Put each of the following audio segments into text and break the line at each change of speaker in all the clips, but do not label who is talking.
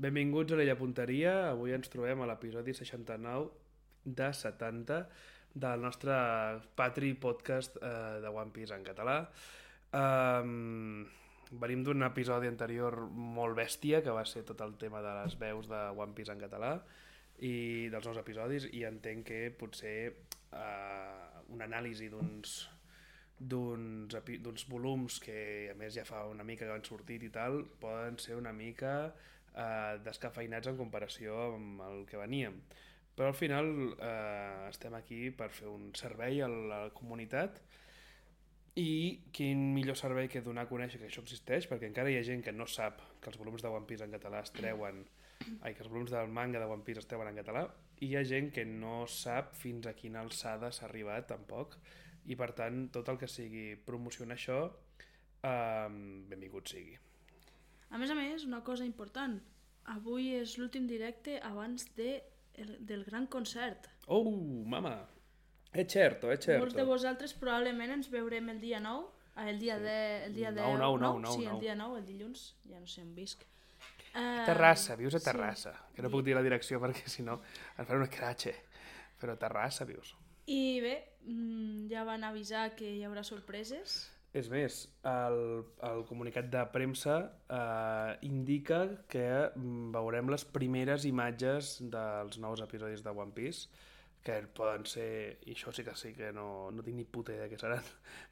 Benvinguts a l'Ella Punteria. Avui ens trobem a l'episodi 69 de 70 del nostre Patri podcast de One Piece en català. Venim d'un episodi anterior molt bèstia, que va ser tot el tema de les veus de One Piece en català i dels nous episodis, i entenc que potser una anàlisi d'uns volums que a més ja fa una mica que han sortit i tal, poden ser una mica descafeinats en comparació amb el que veníem, però al final estem aquí per fer un servei a la comunitat, i quin millor servei que donar a conèixer que això existeix, perquè encara hi ha gent que no sap que els volums de One Piece en català es treuen, que els volums del manga de One Piece es treuen en català, i hi ha gent que no sap fins a quina alçada s'ha arribat tampoc, i per tant tot el que sigui promocionar això, benvingut sigui.
A més, una cosa important. Avui és l'últim directe abans del gran concert.
Oh, mama! És certo.
Molts de vosaltres probablement ens veurem el dia 9, el dia 10... Sí, el dia 9, el dilluns, ja no sé on visc.
A Terrassa, vius a Terrassa. Sí. Que no puc dir la direcció perquè si no em faré un escratxe. Però a Terrassa vius.
I bé, ja van avisar que hi haurà sorpreses.
És més, el comunicat de premsa indica que veurem les primeres imatges dels nous episodis de One Piece, que poden ser, i això sí que no tinc ni puta idea què seran,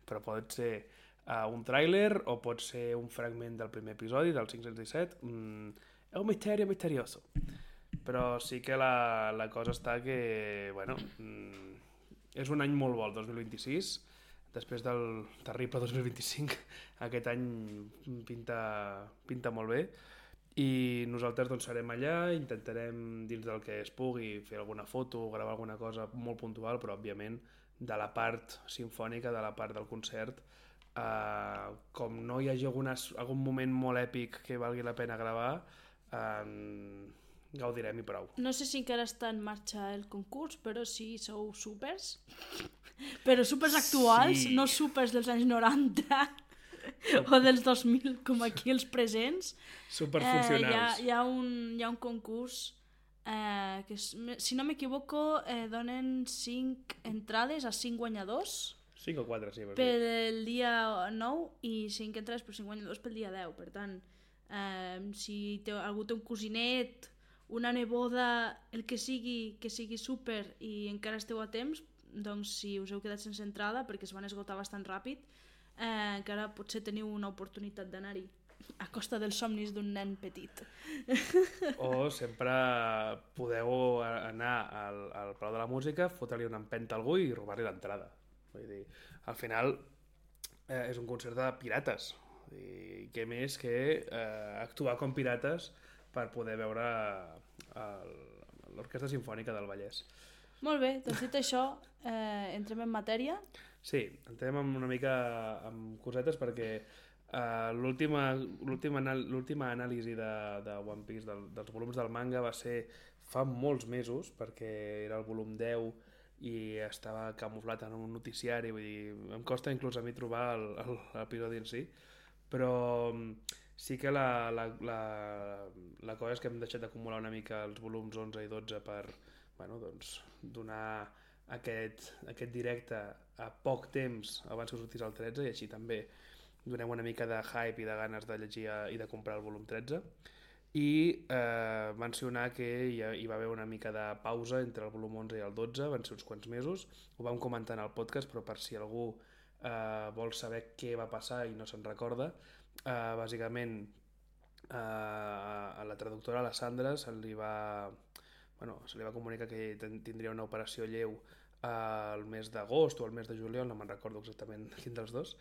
però pot ser un tràiler o pot ser un fragment del primer episodi, del 517. És un misteri misterioso. Però sí que la cosa està que, bueno, és un any molt bo, el 2026, després del terrible 2025, aquest any pinta molt bé, i nosaltres doncs serem allà, intentarem dins del que es pugui fer alguna foto, gravar alguna cosa molt puntual, però òbviament de la part simfònica, de la part del concert, com no hi hagi algun moment molt èpic que valgui la pena gravar, gaudirem i prou.
No sé si encara està en marxa el concurs, però si sou supers, però supers actuals, sí. No supers dels anys 90 o dels 2000 com aquí els presents.
Superfuncionals.
Hi ha un concurs que, si no m'equivoco, donen 5 entrades a 5 guanyadors.
5 o 4, sí.
Per el dia 9 i 5 entrades per 5 guanyadors pel dia 10. Per tant, si algú té un cosinet, una neboda, el que sigui super i encara esteu a temps, doncs si us heu quedat sense entrada perquè es van esgotar bastant ràpid, encara potser teniu una oportunitat d'anar-hi a costa dels somnis d'un nen petit.
O sempre podeu anar al Palau de la Música, fotre-li una empenta a algú i robar-li l'entrada. Vull dir, al final és un concert de pirates. I què més que actuar com pirates per poder veure l'Orquestra Simfònica del Vallès.
Molt bé, doncs dit això, entrem en matèria.
Sí, entrem una mica amb cosetes perquè l'última anàlisi de One Piece, dels volums del manga, va ser fa molts mesos, perquè era el volum 10 i estava camuflat en un noticiari, vull dir, em costa inclús a mi trobar l'episodi en si, però sí que la cosa és que hem deixat d'acumular una mica els volums 11 i 12 per doncs, donar aquest directe a poc temps abans que sortís el 13, i així també donem una mica de hype i de ganes de llegir i de comprar el volum 13, i mencionar que hi va haver una mica de pausa entre el volum 11 i el 12, van ser uns quants mesos, ho vam comentar en el podcast, però per si algú vol saber què va passar i no se'n recorda, bàsicament a la traductora, a la Sandra, se li va comunicar que tindria una operació lleu al mes d'agost o al mes de juliol, no me'n recordo exactament quin dels dos,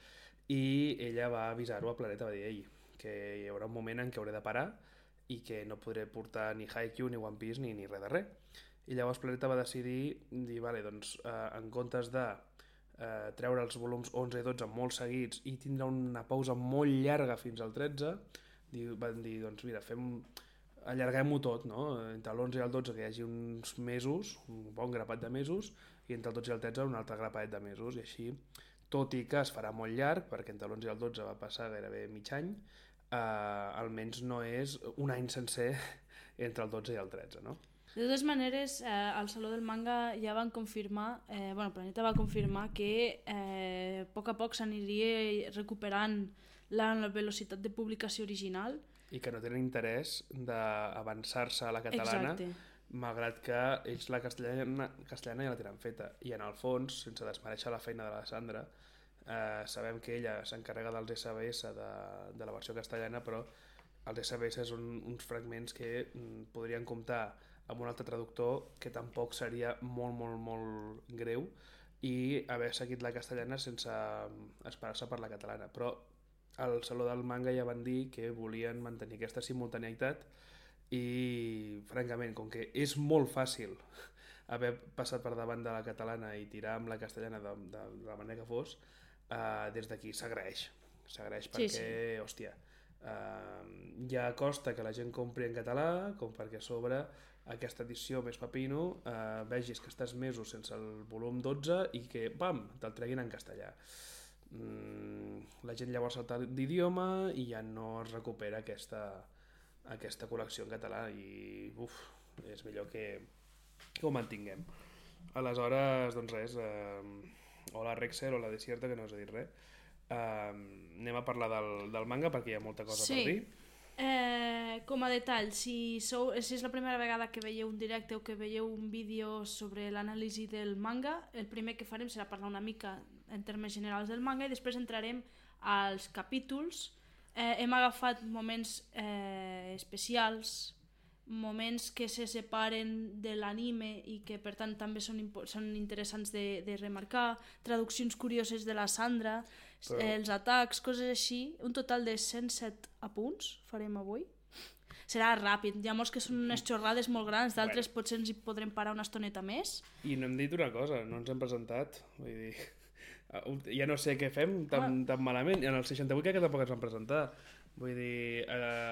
i ella va avisar-ho a Planeta, va dir que hi haurà un moment en què hauré de parar i que no podré portar ni Haikyuu, ni One Piece, ni res de res. I llavors Planeta va decidir vale, doncs, en comptes de treure els volums 11 i 12 molt seguits i tindre una pausa molt llarga fins al 13, van dir, doncs mira, allarguem-ho tot, no? Entre l'11 i el 12 que hi hagi uns mesos, un bon grapat de mesos, i entre el 12 i el 13 un altre grapat de mesos, i així, tot i que es farà molt llarg, perquè entre l'11 i el 12 va passar gairebé mig any, almenys no és un any sencer entre el 12 i el 13, no?
De totes maneres, al Saló del Manga ja van confirmar, Planeta va confirmar que a poc s'aniria recuperant la velocitat de publicació original.
I que no tenen interès d'avançar-se a la catalana,
Exacte.
malgrat que ells la castellana ja la tenen feta. I en el fons, sense desmereixer la feina de la Sandra, sabem que ella s'encarrega dels SBS de la versió castellana, però els SBS són uns fragments que podrien comptar amb un altre traductor, que tampoc seria molt, molt, molt greu, i haver seguit la castellana sense esperar-se per la catalana. Però al Saló del Manga ja van dir que volien mantenir aquesta simultaneïtat i, francament, com que és molt fàcil haver passat per davant de la catalana i tirar amb la castellana de la manera que fos, des d'aquí s'agraeix perquè, hòstia, ja costa que la gent compri en català, com perquè a sobre aquesta edició més pepino vegis que estàs mesos sense el volum 12 i que, pam, te'l treguin en castellà. La gent llavors salta d'idioma i ja no es recupera aquesta col·lecció en català i és millor que ho mantinguem. Aleshores, doncs res, hola Rexer, hola Desierta, que no us he dit res. Anem a parlar del manga perquè hi ha molta cosa per dir.
Com a detall, si és la primera vegada que veieu un directe o que veieu un vídeo sobre l'anàlisi del manga, el primer que farem serà parlar una mica en termes generals del manga i després entrarem als capítols. Hem agafat moments especials, moments que se separen de l'anime i que per tant també són interessants de remarcar, traduccions curioses de la Sandra, els atacs, coses així. Un total de 107 apunts farem avui. Serà ràpid, hi ha molts que són unes xorrades molt grans, d'altres potser ens hi podrem parar una estoneta més.
I no hem dit una cosa, no ens hem presentat, vull dir, ja no sé què fem tan malament, en el 68 crec que tampoc ens vam presentar. Vull dir,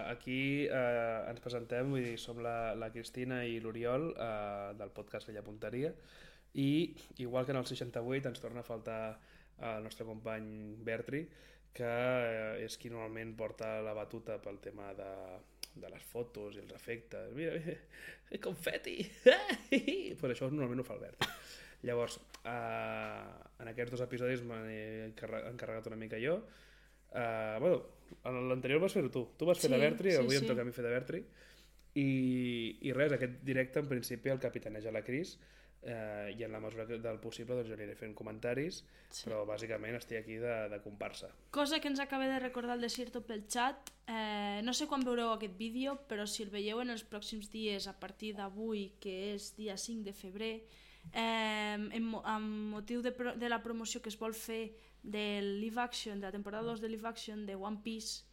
aquí ens presentem, vull dir, som la Cristina i l'Oriol del podcast Vella Punteria, i igual que en el 68 ens torna a faltar el nostre company Bertri, que és qui normalment porta la batuta pel tema de les fotos i els efectes. Mira, confeti! Per això normalment ho fa el Bertri. Llavors, en aquests 2 episodis m'he encarregat una mica jo. L'anterior vas fer-ho tu. Tu vas fer de Bertri, avui em toca a mi fer de Bertri. I res, aquest directe en principi el capitaneja la Cris, i en la mesura del possible doncs jo aniré fent comentaris, però bàsicament estic aquí de comparsa.
Cosa que ens acaba de recordar el Desierto pel xat, no sé quan veureu aquest vídeo, però si el veieu en els pròxims dies a partir d'avui, que és dia 5 de febrer, amb motiu de la promoció que es vol fer de live action, de la temporada 2 de live action de One Piece,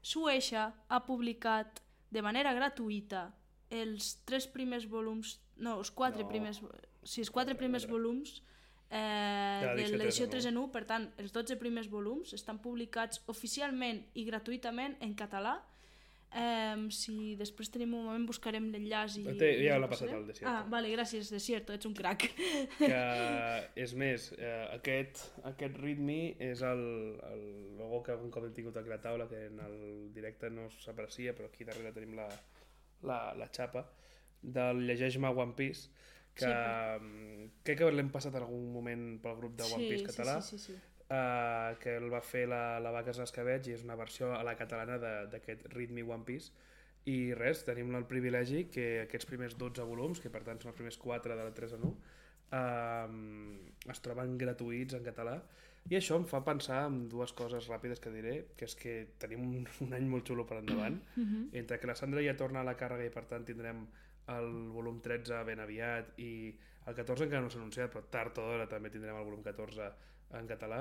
Shueisha ha publicat de manera gratuïta els 3 primers volums, no, els 4 primers, sí, els 4 primers volums de l'edició 3 en 1, per tant, els 12 primers volums estan publicats oficialment i gratuïtament en català. Si després tenim un moment buscarem l'enllaç i...
Ja l'ha passat al Desierto.
Vale, gràcies Desierto, ets un crac.
És més, aquest ritme és el logo que algun cop hem tingut aquí a la taula, que en el directe no s'aprecia, però aquí darrere tenim la xapa del Llegeix-me One Piece, que crec que l'hem passat en algun moment pel grup de One Piece català.
Sí.
Que el va fer la Vaques Escabeig i és una versió a la catalana d'aquest ritme One Piece. I res, tenim el privilegi que aquests primers 12 volums, que per tant són els primers 4 de la 3 en 1, es troben gratuïts en català, i això em fa pensar en 2 coses ràpides que diré, que és que tenim un any molt xulo per endavant, entre que la Sandra ja torna a la càrrega i per tant tindrem el volum 13 ben aviat i el 14 encara no s'ha anunciat, però tard o d'hora també tindrem el volum 14 en català.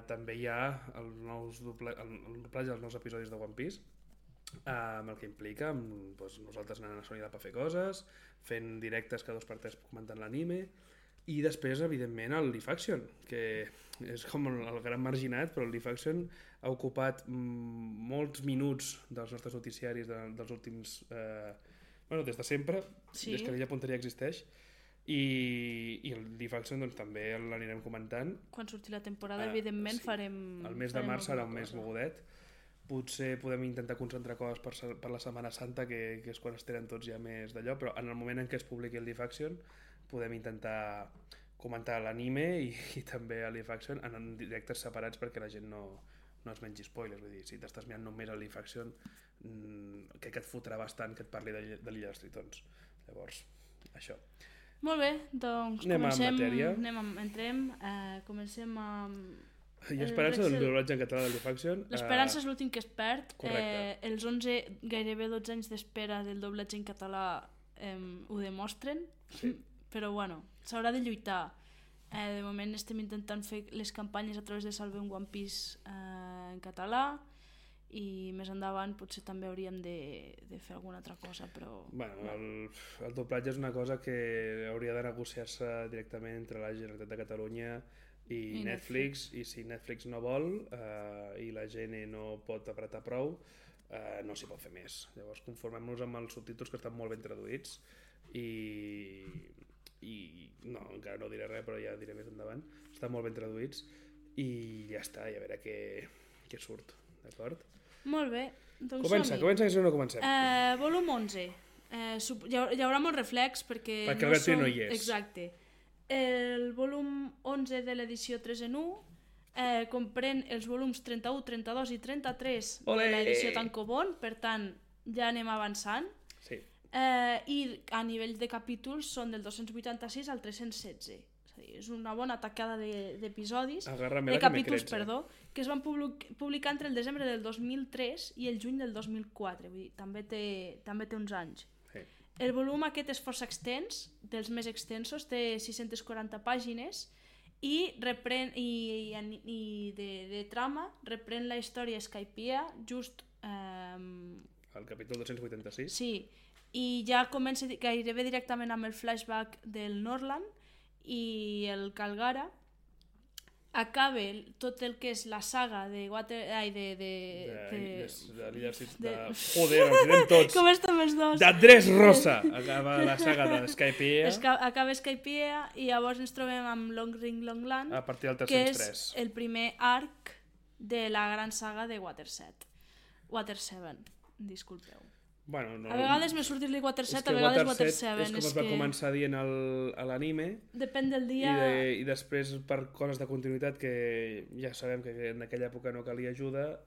També hi ha el doblatge dels nous episodis de One Piece, amb el que implica nosaltres anant a Sony per fer coses, fent directes cada 2x3 comentant l'anime, i després evidentment el Live Action, que és com el gran marginat, però el Live Action ha ocupat molts minuts dels nostres noticiaris dels últims des de sempre, des que Vella Punteria existeix. I el Live Action doncs, també l'anirem comentant.
Quan surti la temporada, evidentment, farem...
El mes de març serà un mes mogudet, potser podem intentar concentrar coses per la Setmana Santa, que és quan es tenen tots ja més d'allò, però en el moment en què es publiqui el Live Action podem intentar comentar l'anime i també el Live Action en directes separats perquè la gent no es mengi spoilers. Vull dir, si t'estàs mirant només el Live Action, crec que et fotrà bastant que et parli de l'Illa dels Tritons. Llavors, això.
Molt bé, doncs
Anem
comencem,
en matèria.
entrem, comencem amb...
Hi ha esperança del doblatge en català del Live Action.
L'esperança és l'últim que es perd.
Correcte.
Els 11, gairebé 12 anys d'espera del doblatge en català ho demostren,
Sí.
però bueno, s'haurà de lluitar. De moment estem intentant fer les campanyes a través de Salvem One Piece en català, i més endavant potser també hauríem de fer alguna altra cosa, però...
Bueno, el doblatge és una cosa que hauria de negociar-se directament entre la Generalitat de Catalunya i Netflix, i si Netflix no vol i la gent no pot apretar prou, no s'hi pot fer més. Llavors conformem-nos amb els subtítols que estan molt ben traduïts i no, encara no diré res, però ja diré més endavant. Estan molt ben traduïts i ja està, i a veure què surt, d'acord?
Molt bé, doncs
Comença, que si no comencem.
Volum 11. Hi haurà molt reflex perquè
el Bertí no hi és.
Exacte. El volum 11 de l'edició 3 en 1 comprèn els volums 31, 32 i 33
Olé!
de l'edició Tankobon, per tant ja anem avançant.
Sí.
I a nivell de capítols són del 286 al 316. És a dir, és una bona tacada d'episodis, de capítols, perdó, que es van publicar entre el desembre del 2003 i el juny del 2004. Vull dir, també té uns anys.
Sí.
El volum aquest és força extens, dels més extensos, té 640 pàgines i de trama reprèn la història Skypiea just...
El capítol 286?
Sí, i ja comença gairebé directament amb el flashback del Norland i el Calgara. Acaba tot el que és la saga de
l'Illa Joder, ens direm tots.
Com estem els dos?
De Dressrosa acaba la saga de Skypiea.
Acaba Skypiea i llavors ens trobem amb Long Ring Long Land,
a partir del
que
303.
és el primer arc de la gran saga de Water 7, disculpeu.
Bueno, no,
A vegades me surt dir-li Water 7, a
que
vegades
Water
Water
7
7.
és com es va començar dient a l'anime,
Depèn del dia...
i després per coses de continuïtat que ja sabem que en aquella època no calia ajuda,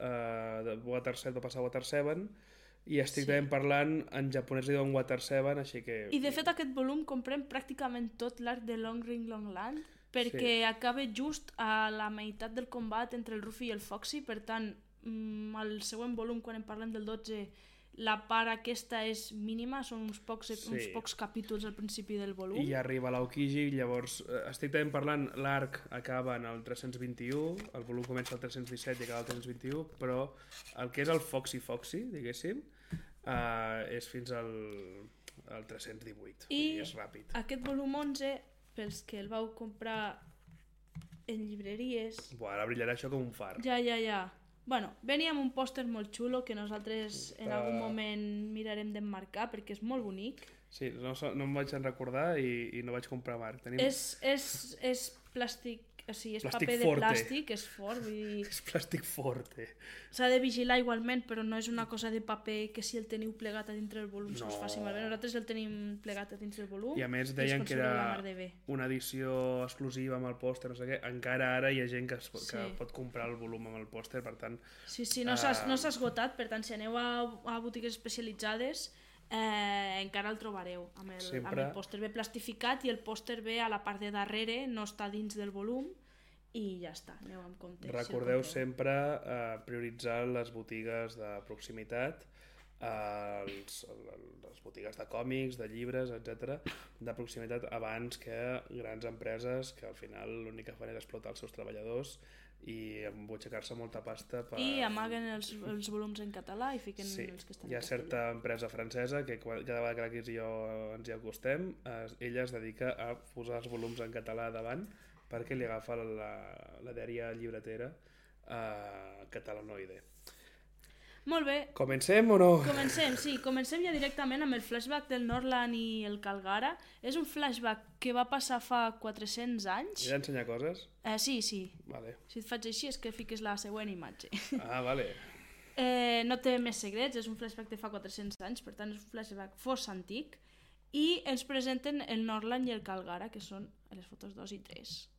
de Water 7 va passar a Water 7 i estrictament parlant en japonès li diuen Water 7, així que...
I de fet aquest volum comprèn pràcticament tot l'arc de Long Ring Long Land, perquè acaba just a la meitat del combat entre el Ruffy i el Foxy. Per tant, al següent volum, quan en parlem del 12, la part aquesta és mínima, són uns pocs capítols al principi del volum.
I ja arriba l'Aokiji, llavors estrictament parlant l'arc acaba en el 321, el volum comença al 317 i acaba al 321, però el que és el Foxy, diguéssim, és fins al 318, i és ràpid.
Aquest volum 11, pels que el vau comprar en llibreries...
Buah, ara brillarà això com un far.
Ja. Bueno, venia amb un pòster molt xulo que nosaltres en algun moment mirarem d'emmarcar perquè és molt bonic.
Sí, no em vaig en recordar i no vaig comprar marc.
És plàstic, o sigui, és
Plàstic
paper de
forte.
plàstic, és fort, vull dir...
És plàstic forte.
S'ha de vigilar igualment, però no és una cosa de paper que si el teniu plegat a dintre del volum se us faci malbé. Nosaltres el tenim plegat a dins del volum
i a més deien que era
de
una edició exclusiva amb el pòster, no sé què. Encara ara hi ha gent que pot comprar el volum amb el pòster, per tant...
Sí, no s'ha esgotat, per tant, si aneu a botigues especialitzades encara el trobareu amb el pòster bé plastificat, i el pòster bé a la part de darrere, no està dins del volum, i ja està, aneu amb compte.
Recordeu sempre prioritzar les botigues de proximitat, les botigues de còmics, de llibres, etc, de proximitat, abans que grans empreses que al final l'únic que fan és explotar els seus treballadors i embutxacar-se molta pasta
i amaguen els volums en català i fiquen els que estan
hi ha certa empresa francesa que cada vegada que l'Aquis i jo ens hi acostem, ella es dedica a posar els volums en català davant perquè li agafa la dèria llibretera catalanoide.
Molt bé.
Comencem o no?
Comencem ja directament amb el flashback del Norland i el Calgara. És un flashback que va passar fa 400 anys.
He d'ensenyar coses?
Sí.
Vale.
Si et faig així és que fiques la següent imatge.
Vale.
no té més secrets, és un flashback de fa 400 anys, per tant és un flashback força antic, i ens presenten el Northland i el Calgara, que són les fotos 2 i 3.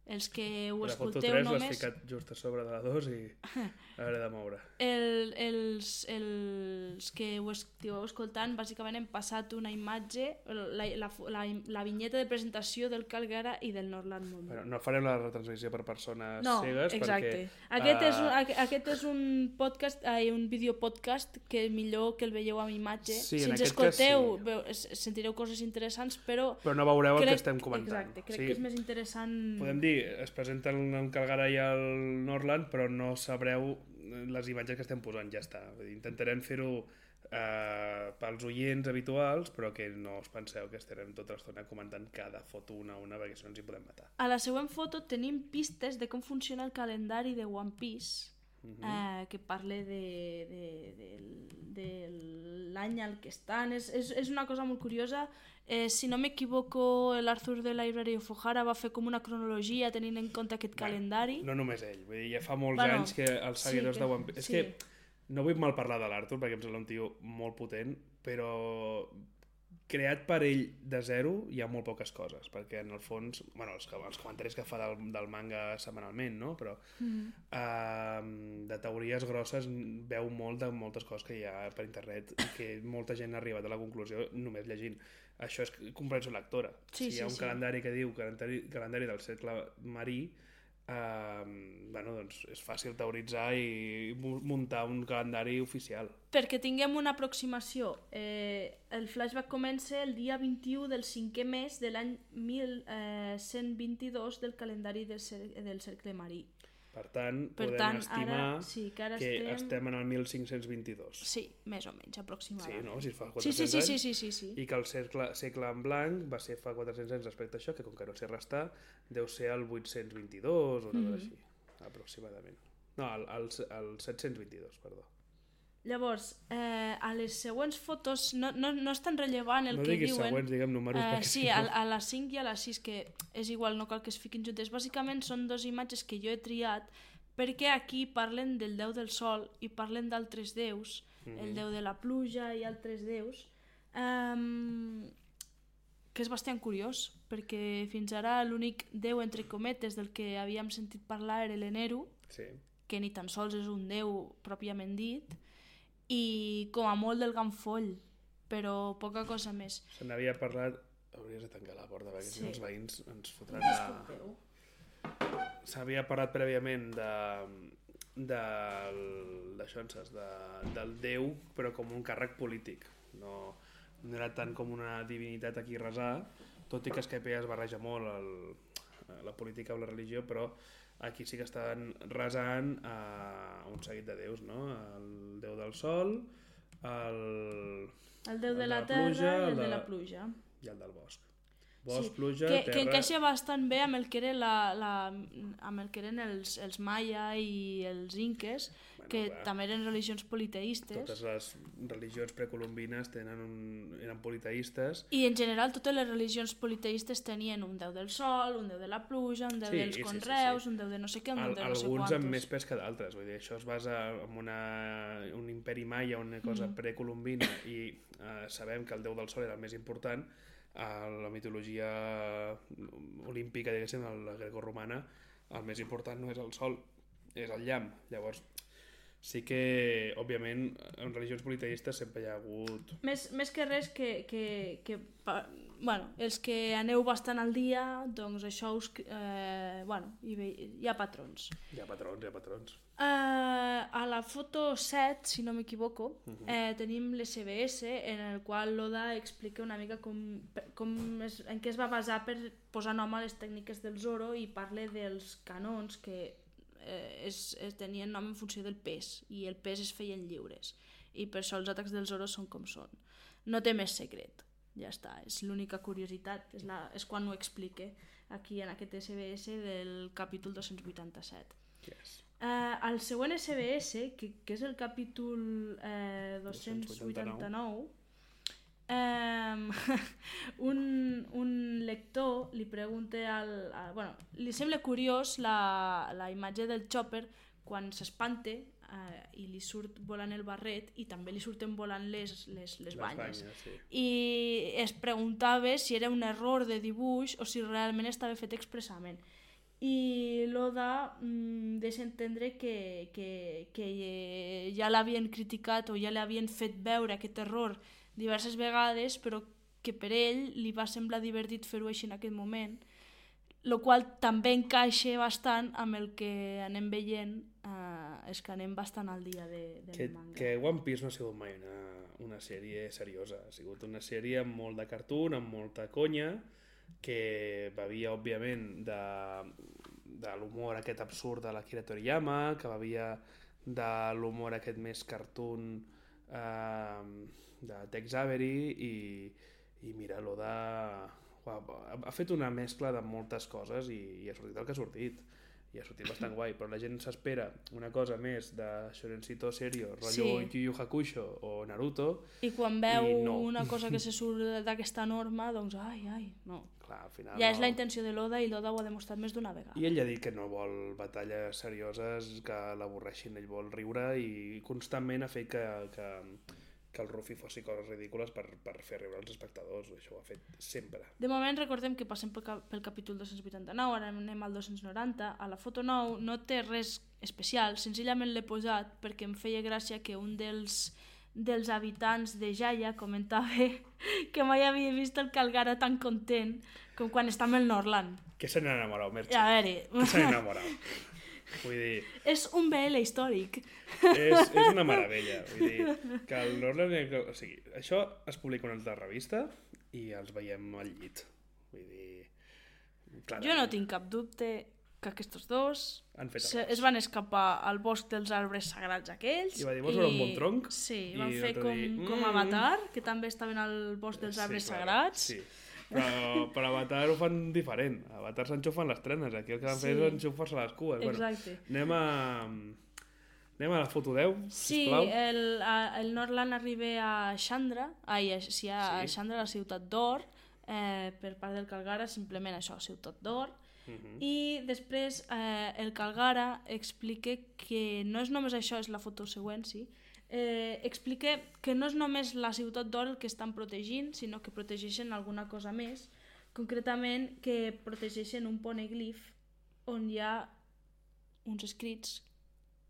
Els que ho
La foto
escolteu
3 l'has
només...
ficat just a sobre de la 2 i hauré de moure.
Els que ho estigueu escoltant bàsicament hem passat una imatge, la vinyeta de presentació del Calgara i del Northland Mountain.
Bueno, no farem la retransmissió per persones
No,
cegues
exacte.
perquè...
Aquest és un podcast, un videopodcast que millor que el veieu amb imatge.
Sí,
si
en
ens
aquest cas
escolteu
sí.
sentireu coses interessants, però
no veureu el que estem comentant.
Exacte, crec que és més interessant...
Podem dir, es presenten el Calgara i el Northland, però no sabreu les imatges que estem posant, ja està. Vull dir, intentarem fer-ho pels oients habituals, però que no us penseu que estarem tota l'estona comentant cada foto una a una, perquè si no ens hi podem matar.
A la següent foto tenim pistes de com funciona el calendari de One Piece, que parla de l'any al que estan. És una cosa molt curiosa. Si no m'equivoco, l'Arthur de Library of O'Hara va fer com una cronologia tenint en compte aquest calendari.
No només ell, vull dir, ja fa molts anys que els seguidors de One Piece... És que no vull mal parlar de l'Arthur perquè em sembla un tio molt potent, però creat per ell de zero hi ha molt poques coses, perquè en el fons, bueno, els comentaris que fa del manga setmanalment, no? Però de teories grosses veu molt de moltes coses que hi ha per internet i que molta gent ha arribat a la conclusió només llegint. Això és comprensió lectora. Si hi ha un calendari que diu calendari del cercle marí, bueno, doncs és fàcil teoritzar i muntar un calendari oficial.
Perquè tinguem una aproximació, el flashback comença el dia 21 del 5è mes de l'any 1122 del calendari del cercle marí.
Per tant, podem estimar que estem en el 1522.
Sí, més o menys, aproximadament.
Sí, no? Si fa 400 anys.
Sí.
I que el segle en blanc va ser fa 400 anys respecte a això, que com que no sé restar, deu ser el 822 o una cosa així, aproximadament. No, el 722, perdó.
Llavors, a les següents fotos no és tan rellevant el que diuen...
No diguis següents, diguem números.
Sí, a la 5 i a la 6, que és igual, no cal que es fiquin juntes. Bàsicament són dues imatges que jo he triat perquè aquí parlen del déu del sol i parlen d'altres déus, el déu de la pluja i altres déus, que és bastant curiós, perquè fins ara l'únic déu, entre cometes, del que havíem sentit parlar era l'Eneru, que ni tan sols és un déu pròpiament dit, i com a molt del Ganfoll, però poca cosa més.
Se n'havia parlat... Hauries de tancar la porta perquè si no els veïns ens fotran S'havia parlat prèviament del déu, però com un càrrec polític. No era tant com una divinitat aquí resar, tot i que Skype es barreja molt la política amb la religió, però aquí sí que estan resant un seguit de déus, no? El déu del sol, el
déu de la terra i el de la pluja.
I el del bosc. Bosc, pluja, terra...
Que encaixa bastant bé amb el que eren els maia i els inques, que també eren religions politeistes.
Totes les religions precolombines eren politeistes.
I en general totes les religions politeistes tenien un déu del sol, un déu de la pluja, un déu dels conreus, un déu de no sé què, un déu de no sé quantos.
Alguns amb més pes que d'altres, vull dir, això es basa en un imperi maia, una cosa precolombina, i sabem que el déu del sol era el més important. A la mitologia olímpica, diguéssim, la grecorromana, el més important no és el sol, és el llamp. Llavors, sí que, òbviament, en religions politeistes sempre hi ha hagut...
Més que res bueno, els que aneu bastant al dia, doncs això bueno, hi ha patrons.
Hi ha patrons.
A la foto 7, si no m'equivoco, tenim l'SBS, en el qual l'Oda explica una mica en què es va basar per posar nom a les tècniques del Zoro, i parla dels canons que tenien nom en funció del pes, i el pes es feien lliures, i per això els atacs del Zoro són com són. No té més secret, ja està, és l'única curiositat, és quan ho explique aquí en aquest SBS del capítol 287.
Yes.
El següent SBS, que és el capítol 289, un lector li pregunta li sembla curiós la imatge del Chopper quan s'espante i li surt volant el barret i també li surten volant les banyes.
Sí.
I es preguntava si era un error de dibuix o si realment estava fet expressament. I l'Oda deixa entendre que ja l'havien criticat o ja l'havien fet veure aquest error diverses vegades, però que per ell li va semblar divertit fer-ho així en aquest moment, el qual també encaixa bastant amb el que anem veient, és que anem bastant al dia del manga.
Que One Piece no ha sigut mai una sèrie seriosa, ha sigut una sèrie amb molt de cartoon, amb molta conya, que bevia, òbviament, de l'humor aquest absurd de l'Akira Toriyama, que bevia de l'humor aquest més cartoon de Tex Avery, i mira, l'Oda ha fet una mescla de moltes coses i ha sortit el que ha sortit. I ha sortit bastant guai, però la gent s'espera una cosa més de Shorencito serio, rotllo Yu Yu Hakusho o Naruto.
I quan veu una cosa que se surt d'aquesta norma, doncs no.
Clar, al final
ja és la intenció de l'Oda i l'Oda ho ha demostrat més d'una vegada.
I ell ha dit que no vol batalles serioses que l'avorreixin, ell vol riure i constantment ha fet que el Ruffy fossi coses ridícules per fer riure els espectadors, això ho ha fet sempre.
De moment recordem que passem pel capítol 289, ara anem al 290, a la foto 9 no té res especial, senzillament l'he posat perquè em feia gràcia que un dels habitants de Jaya comentava que mai havia vist el Calgara tan content com quan està amb el Norland.
Que se n'ha enamorat, Merche.
A veure...
Que se n'ha enamorat. Vull dir...
És un BL històric.
És una meravella. Vull dir, que el Norland... O sigui, això es publica en una altra revista i els veiem al llit. Vull dir... Clarament.
Jo no tinc cap dubte que aquests dos es van escapar al bosc dels arbres sagrats aquells.
I va dir, vols veure un bon tronc?
Sí, van fer com Avatar, que també estaven al bosc dels arbres sagrats.
Sí. Però Avatar ho fan diferent. Avatar s'enxufen les trenes, aquí el que van fer és enxufar-se les cues.
Exacte.
Bueno, anem a la foto 10, sisplau.
Sí, el Norland arriba a Chandra, a Chandra, la ciutat d'Or, per part del Calgara, simplement això, ciutat d'Or. I després el Calgara explica que no és només això, és la foto següent, sí, explica que no és només la ciutat d'Or el que estan protegint, sinó que protegeixen alguna cosa més, concretament que protegeixen un poneglyph on hi ha uns escrits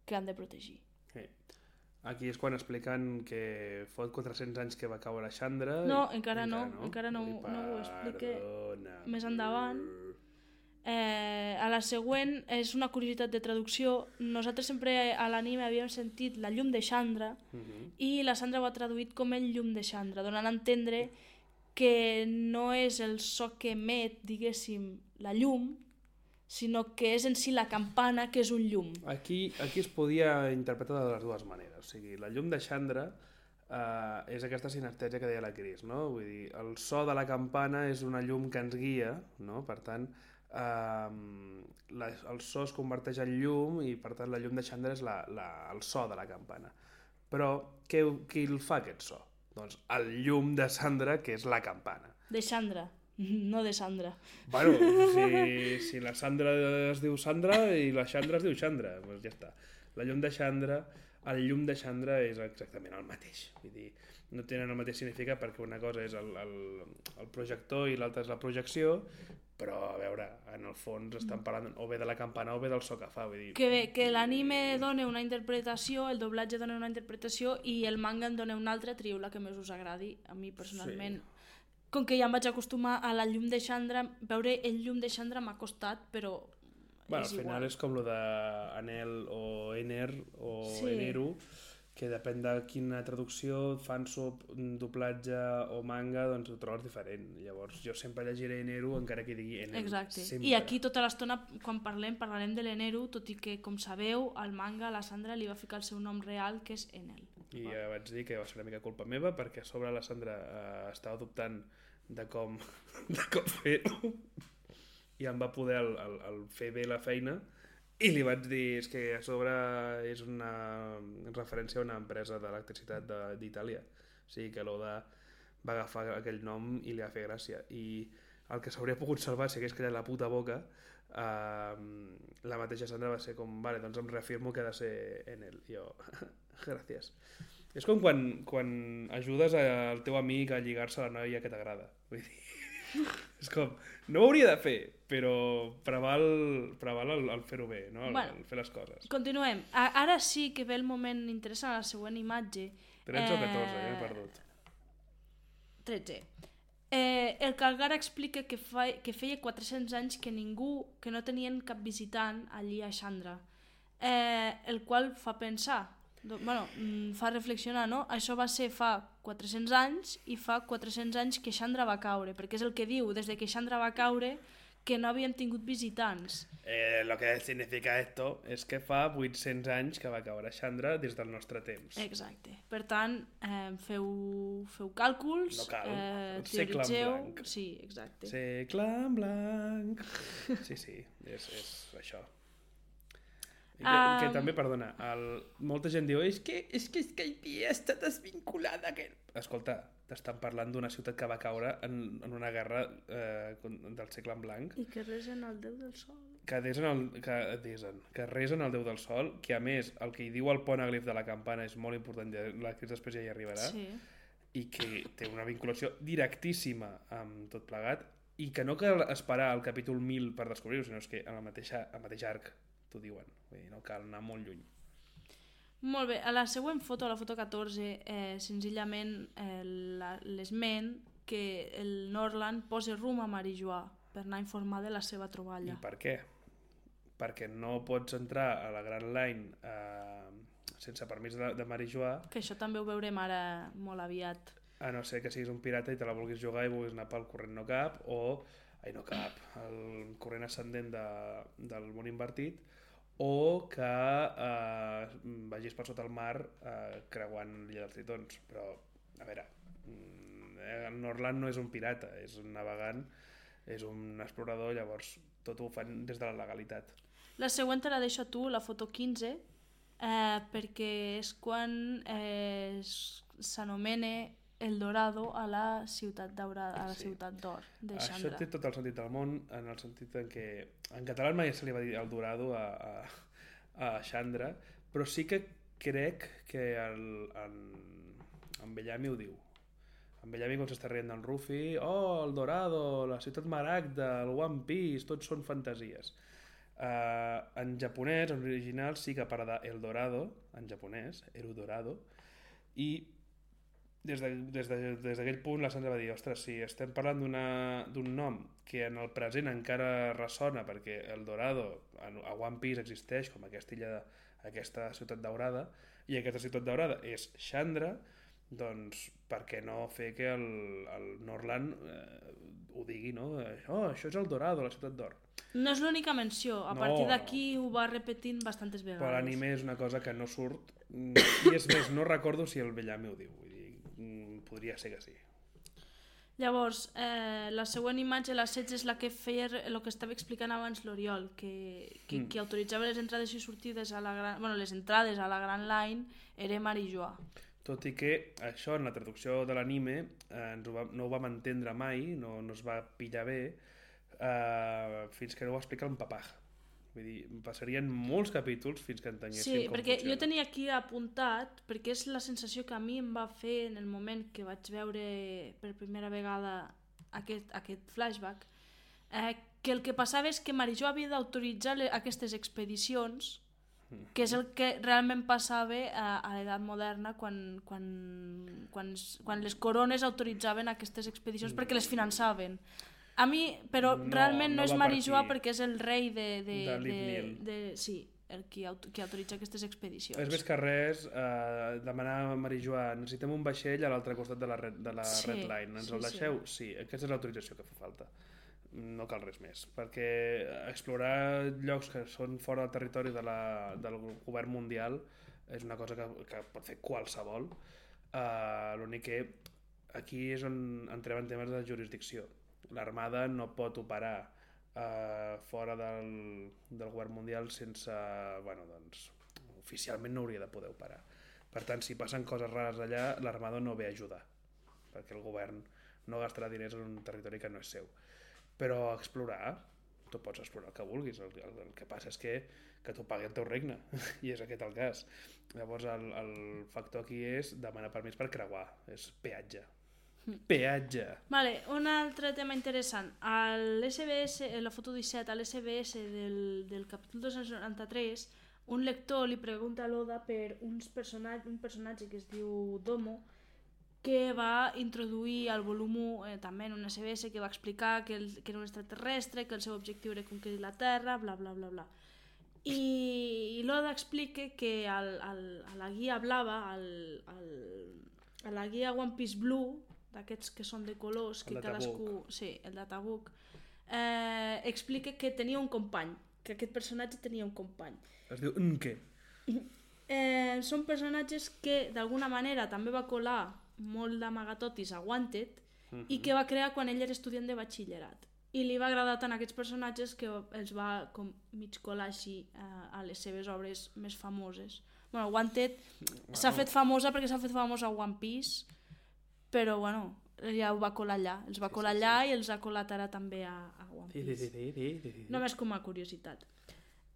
que han de protegir.
Aquí és quan expliquen que fot 400 anys que va caure Chandra.
No, encara no ho explica més endavant. A la següent és una curiositat de traducció. Nosaltres sempre a l'anime havíem sentit la llum de Chandra i la Sandra ho ha traduït com el llum de Chandra, donant a entendre que no és el so que emet, diguéssim, la llum, sinó que és en si la campana que és un llum.
Aquí es podia interpretar de les dues maneres. O sigui, la llum de Chandra és aquesta sinestèsia que deia la Cris, no? Vull dir, el so de la campana és una llum que ens guia, no? Per tant, el so es converteix en llum i per tant la llum de Chandra és el so de la campana. Però qui el fa aquest so? Doncs el llum de Sandra, que és la campana.
De Chandra, no de Sandra.
Bueno, si la Sandra es diu Sandra i la Chandra es diu Chandra, doncs ja està. La llum de Chandra, el llum de Chandra és exactament el mateix. Vull dir, no tenen el mateix significat perquè una cosa és el projector i l'altra és la projecció, però a veure, en el fons estan parlant o bé de la campana o bé del so que fa, vull dir...
Que l'anime dona una interpretació, el doblatge dona una interpretació i el manga en dona una altra, trieu la que més us agradi. A mi personalment, com que ja em vaig acostumar a la llum de Chandra, veure el llum de Chandra m'ha costat, però
al final és com lo d'Anel o Ener o Eneru, que depèn de quina traducció fan doblatge o manga, doncs ho trobes diferent. Llavors jo sempre llegiré Eneru encara que digui Eneru.
Exacte.
Sempre.
I aquí tota l'estona quan parlarem de l'Eneru, tot i que, com sabeu, al manga a la Sandra li va ficar el seu nom real, que és Enel.
I ja vaig dir que va ser una mica culpa meva, perquè a sobre la Sandra estava dubtant de com fer-ho i em va poder el fer bé la feina. I li vaig dir, és que a sobre és una referència a una empresa d'electricitat d'Itàlia. O sigui que l'Oda va agafar aquell nom i li va fer gràcia. I el que s'hauria pogut salvar si hagués callat la puta boca, la mateixa Sandra va ser com, vale, doncs em reafirmo que ha de ser Enel. I jo, gràcies. És com quan ajudes al teu amic a lligar-se a la noia que t'agrada. Vull dir, és com, no ho hauria de fer, però preval el fer-ho bé, no? El fer les coses.
Continuem. Ara sí que ve el moment interessant, la següent imatge.
13 o 14, ja m'he perdut.
13. El Calgara explica que feia 400 anys que que no tenien cap visitant allí a Xandra, el qual fa pensar, fa reflexionar, no? Això va ser fa 400 anys i fa 400 anys que Xandra va caure, perquè és el que diu, des que Xandra va caure que no havíem tingut visitants.
Lo que significa esto és que fa 800 anys que va caure Xandra des del nostre temps.
Exacte. Per tant, feu càlculs,
no cal.
Teoritzeu...
Segle en blanc.
Sí, exacte.
Segle en blanc. Sí, és això. Que també, perdona, molta gent diu és que Skypiea està desvinculada. Escolta, t'estan parlant d'una ciutat que va caure en una guerra del segle en blanc.
I que resen el Déu del Sol.
Que resen el Déu del Sol, que a més el que hi diu el ponèglif de la campana és molt important, la que després ja hi arribarà,
sí.
I que té una vinculació directíssima amb tot plegat, i que no cal esperar al capítol 1000 per descobrir-ho, sinó que en el mateix arc t'ho diuen, vull dir, no cal anar molt lluny.
Molt bé, a la següent foto, la foto 14, senzillament l'esment que el Norland posa rumb a Marijuà per anar a informar de la seva troballa.
I per què? Perquè no pots entrar a la Grand Line sense permís de Marijuà.
Que això també ho veurem ara molt aviat.
A no ser que siguis un pirata i te la vulguis jugar i vulguis anar pel corrent no cap, o el corrent ascendent del món invertit, o que vagis per sota el mar creuant l'illa dels Tritons. Però, a veure, el Norland no és un pirata, és un navegant, és un explorador, llavors tot ho fan des de la legalitat.
La següent te la deixo a tu, la foto 15, perquè és quan s'anomena El Dorado a la ciutat daurada, a la ciutat d'or de Xandra.
Això té tot el sentit del món, en el sentit en què en català mai se li va dir El Dorado a Xandra, però sí que crec que en Bellamy ho diu. En Bellamy quan s'està rient del Ruffy, El Dorado, la ciutat maragda, el One Piece, tots són fantasies. En japonès, en original, sí que parla de El Dorado, en japonès, El Dorado, i des d'aquell punt la Sandra va dir, ostres, si estem parlant d'un nom que en el present encara ressona, perquè El Dorado a One Piece existeix com aquesta ciutat daurada, i aquesta ciutat daurada és Xandra, doncs per què no fer que el Norland ho digui, no? Això és El Dorado, la ciutat d'or.
No és l'única menció, a partir d'aquí ho va repetint bastantes vegades.
Però l'anime és una cosa que no surt, i és més, no recordo si el Bellamy ho diu, vull dir, podria ser que sí.
Llavors, la següent imatge, la 16, és la que feia el que estava explicant abans l'Oriol, que autoritzava les entrades i sortides les entrades a la Grand Line era Marijuà.
Tot i que això en la traducció de l'anime no ho vam entendre mai, no es va pillar bé, fins que no ho explica en Papaj. Vull dir, passarien molts capítols fins que entenguéssim com funciona. Sí,
perquè jo tenia aquí apuntat, perquè és la sensació que a mi em va fer en el moment que vaig veure per primera vegada aquest flashback, que el que passava és que Marijuà havia d'autoritzar aquestes expedicions, que és el que realment passava a l'edat moderna quan les corones autoritzaven aquestes expedicions perquè les finançaven. A mi, però realment no és Marijuà perquè és el rei sí, el qui autoritza aquestes expedicions.
És més que res demanar a Marijuà, necessitem un vaixell a l'altre costat de la Red Line, ens el deixeu? Sí, aquesta és l'autorització que fa falta, no cal res més, perquè explorar llocs que són fora del territori del govern mundial és una cosa que pot fer qualsevol. L'únic que aquí és on entrem en temes de jurisdicció. L'Armada no pot operar fora del govern mundial sense... oficialment no hauria de poder operar. Per tant, si passen coses rares allà, l'Armada no ve a ajudar, perquè el govern no gastarà diners en un territori que no és seu. Però explorar, tu pots explorar el que vulguis, el que passa és que t'ho pagui el teu regne, i és aquest el cas. Llavors el factor aquí és demanar permís per creuar, és peatge. Peatge!
Vale, un altre tema interessant. A l'SBS, la foto 17, a l'SBS del capítol 293, un lector li pregunta a l'Oda per un personatge que es diu Domo, que va introduir al volum 1, també en un SBS, que va explicar que era un extraterrestre, que el seu objectiu era conquerir la Terra, bla bla bla bla. I l'Oda explica que a la guia blava, a la guia One Piece Blue, d'aquests que són de colors, que cadascú... Sí, el de Tabuk, explica que tenia un company, que aquest personatge tenia un company.
Es diu Nke.
Són personatges que d'alguna manera també va colar molt d'amagatotis a Wanted i que va crear quan ell era estudiant de batxillerat. I li va agradar tant aquests personatges que els va com mig colar així a les seves obres més famoses. Bueno, Wanted s'ha fet famosa perquè s'ha fet famosa a One Piece, però bueno, ja ho va colar allà. Els va colar allà i els ha colat ara també a One Piece. Només com a curiositat.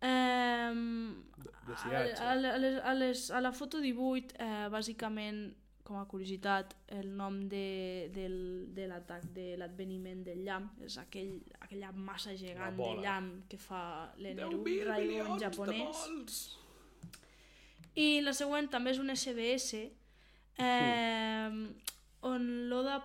A la foto 18, bàsicament, com a curiositat, el nom de l'atac, de l'adveniment del llamp, és aquella massa gegant de llamp que fa l'Eneru, Raigo en japonès. I la següent també és un SBS, on l'Oda...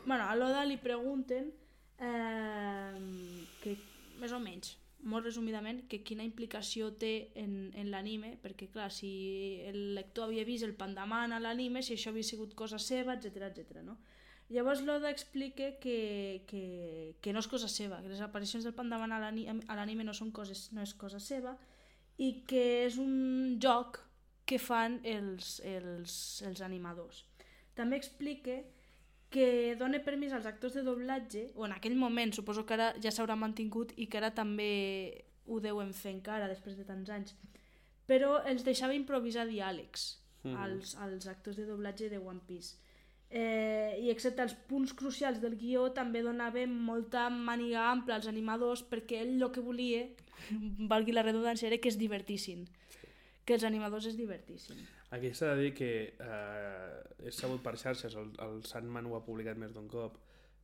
Bueno, a l'Oda li pregunten que, més o menys, molt resumidament, que quina implicació té en l'anime, perquè clar, si el lector havia vist el Pandaman a l'anime, si això havia sigut cosa seva, etc. No? Llavors l'Oda explica que no és cosa seva, que les aparicions del Pandaman a l'anime no és cosa seva i que és un joc que fan els animadors. També explica que dona permís als actors de doblatge, o en aquell moment, suposo que ara ja s'haurà mantingut i que ara també ho deuen fer encara després de tants anys, però els deixava improvisar diàlegs als actors de doblatge de One Piece. I excepte els punts crucials del guió també donava molta màniga ampla als animadors perquè ell el que volia, valgui la redundància, era que es divertissin, que els animadors es divertissin.
Aquí s'ha de dir que és sabut per xarxes, el Sandman ho ha publicat més d'un cop,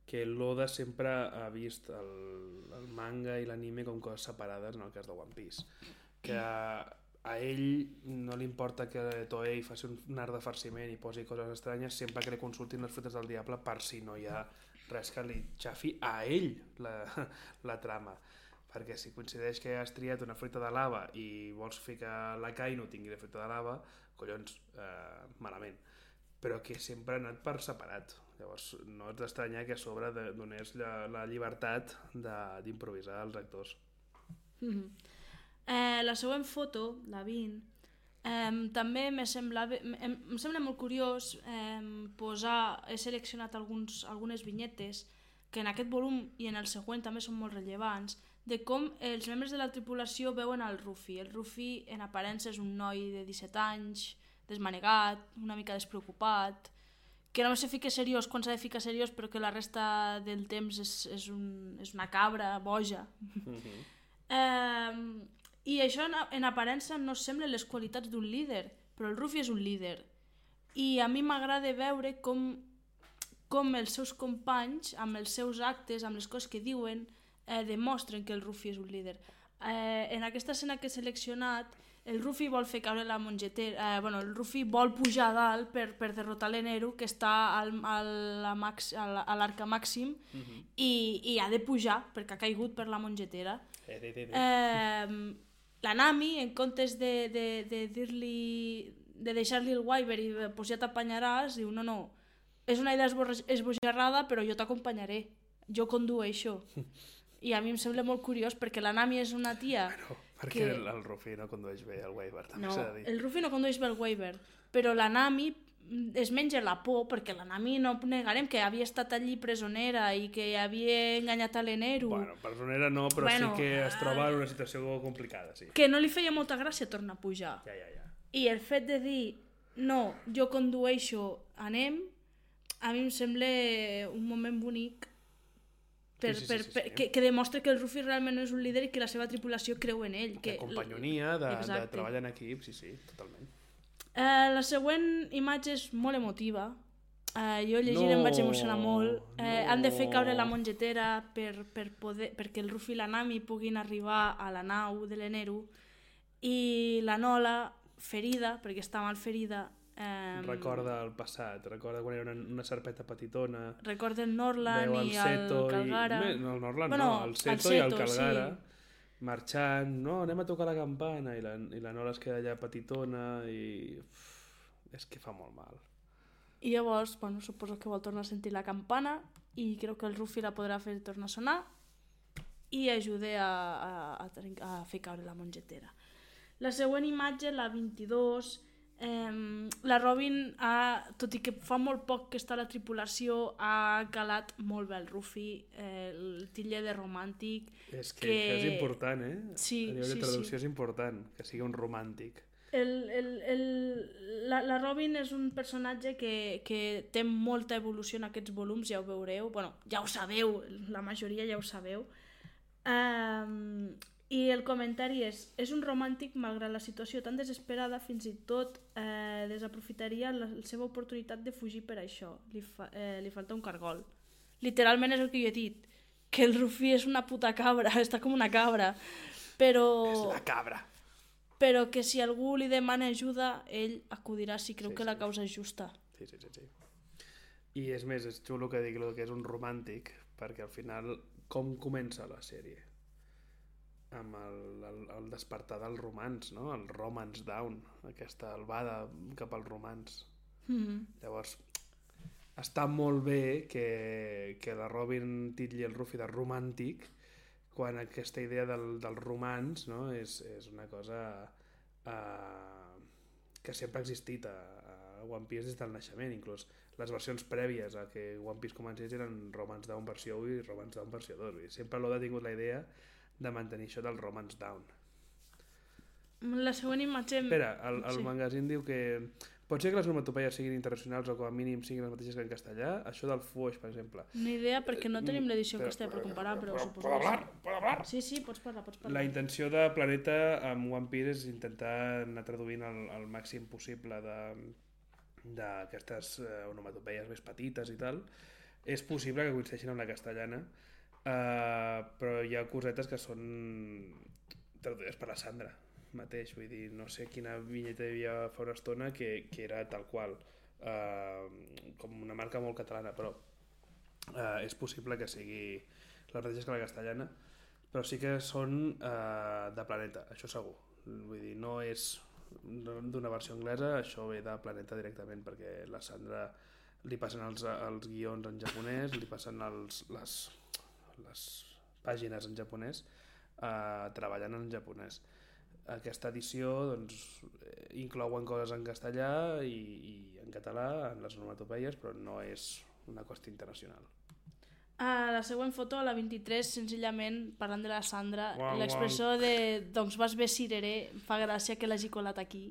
que l'Oda sempre ha vist el manga i l'anime com coses separades en el cas de One Piece. Que a ell no li importa que Toei faci un art de farciment i posi coses estranyes sempre que li consultin les fruites del diable per si no hi ha res que li xafi a ell la trama. Perquè si coincideix que has triat una fruita de lava i vols fer que la Kaino tingui la fruita de lava, collons, malament. Però que sempre ha anat per separat. Llavors no ets d'estranyar que a sobre donés la llibertat d'improvisar als actors.
La següent foto, la 20, també em sembla molt curiós he seleccionat algunes vinyetes que en aquest volum i en el següent també són molt rellevants, de com els membres de la tripulació veuen el Ruffy. El Ruffy en aparença és un noi de 17 anys, desmanegat, una mica despreocupat, que només se fica seriós quan s'ha de ficar seriós, però que la resta del temps és una cabra boja. I això en aparença no sembla les qualitats d'un líder, però el Ruffy és un líder. I a mi m'agrada veure com els seus companys, amb els seus actes, amb les coses que diuen, demostren que el Ruffy és un líder. En aquesta escena que he seleccionat, el Ruffy vol fer caure la mongetera, el Ruffy vol pujar a dalt per derrotar l'Eneru, que està a l'arca màxim, i ha de pujar perquè ha caigut per la mongetera. La Nami, en comptes de deixar-li el Wyver i pues ja t'apanyaràs, diu no, és una idea esbojarrada, però jo t'acompanyaré, jo condueixo. I a mi em sembla molt curiós perquè la Nami és una tia...
Perquè el Ruffy no condueix bé el Wyver, també s'ha de dir.
El Ruffy no condueix bé el Wyver, però la Nami es menja la por, perquè la Nami no negarem que havia estat allí presonera i que havia enganyat a l'Eneru.
Bueno, presonera no, però sí que es troba en una situació complicada, sí.
Que no li feia molta gràcia tornar a pujar.
Ja.
I el fet de dir, no, jo condueixo, anem, a mi em sembla un moment bonic
Sí.
Que demostra que el Ruffy realment és un líder i que la seva tripulació creu en ell.
De companyonia, de treballar en equip, sí, totalment.
La següent imatge és molt emotiva. Jo llegint em vaig emocionar molt. Han de fer caure la mongetera perquè el Ruffy i la Nami puguin arribar a la nau de l'Eneru, i la Nola, ferida, perquè està mal ferida,
recorda el passat, recorda quan era una serpeta petitona,
recorda el Norland i el Calgara.
No, el Norland no, el Seto i el Calgara, marxant, no, anem a tocar la campana, i la Nola es queda allà petitona i és que fa molt mal.
I llavors, suposo que vol tornar a sentir la campana i crec que el Ruffy la podrà fer tornar a sonar i ajuda a fer caure la mongetera. La següent imatge, la 22, la Robin, tot i que fa molt poc que està a la tripulació, ha calat molt bé el Ruffy, el titlle de romàntic.
És que és important,
Sí,
a nivell de traducció és important que sigui un romàntic.
La Robin és un personatge que té molta evolució en aquests volums, ja ho veureu, ja ho sabeu, la majoria ja ho sabeu. I el comentari és un romàntic malgrat la situació tan desesperada, fins i tot desaprofitaria la seva oportunitat de fugir per això. Li falta un cargol. Literalment és el que jo he dit, que el Ruffy és una puta cabra, està com una cabra, però...
És la cabra.
Però que si algú li demana ajuda, ell acudirà si creu que la causa és justa.
Sí. I és més, és xulo que digui que és un romàntic, perquè al final, com comença la sèrie? Amb el despertar del romans, no? El romance down, aquesta albada cap al romans. Llavors, està molt bé que la Robin titlli el Ruffy de romàntic, quan aquesta idea del romans, no? és una cosa que sempre ha existit a One Piece des del naixement. Inclús les versions prèvies a que One Piece comencés eren Romance Down versió 1 i Romance Down versió 2. I sempre l'Oda ha tingut la idea de mantenir això del Romance Down.
La següent imatge...
Espera, el magazín diu que pot ser que les onomatopeies siguin internacionals o com a mínim siguin les mateixes que en castellà. Això del fuix, per exemple.
Una idea, perquè no tenim l'edició en castellà per comparar, però suposo que sí.
¿Puedo hablar?
Sí, pots parlar.
La intenció de Planeta amb One Piece és intentar anar traduint el màxim possible d'aquestes onomatopeies més petites i tal. És possible que coincideixin amb la castellana, però hi ha cosetes que són traduïdes per la Sandra mateix, vull dir, no sé quina vinyeta hi havia fa una estona que era tal qual, com una marca molt catalana, però és possible que sigui les mateixes que la castellana, però sí que són de Planeta, això segur. Vull dir, no és d'una versió anglesa, això ve de Planeta directament, perquè la Sandra li passen els guions en japonès, li passen les pàgines en japonès, treballant en japonès. Aquesta edició inclouen coses en castellà i en català, en les onomatopeies, però no és una qüestió internacional.
La següent foto, la 23, senzillament, parlant de la Sandra, l'expressió de doncs vas bé cireré, fa gràcia que l'hagi colat aquí.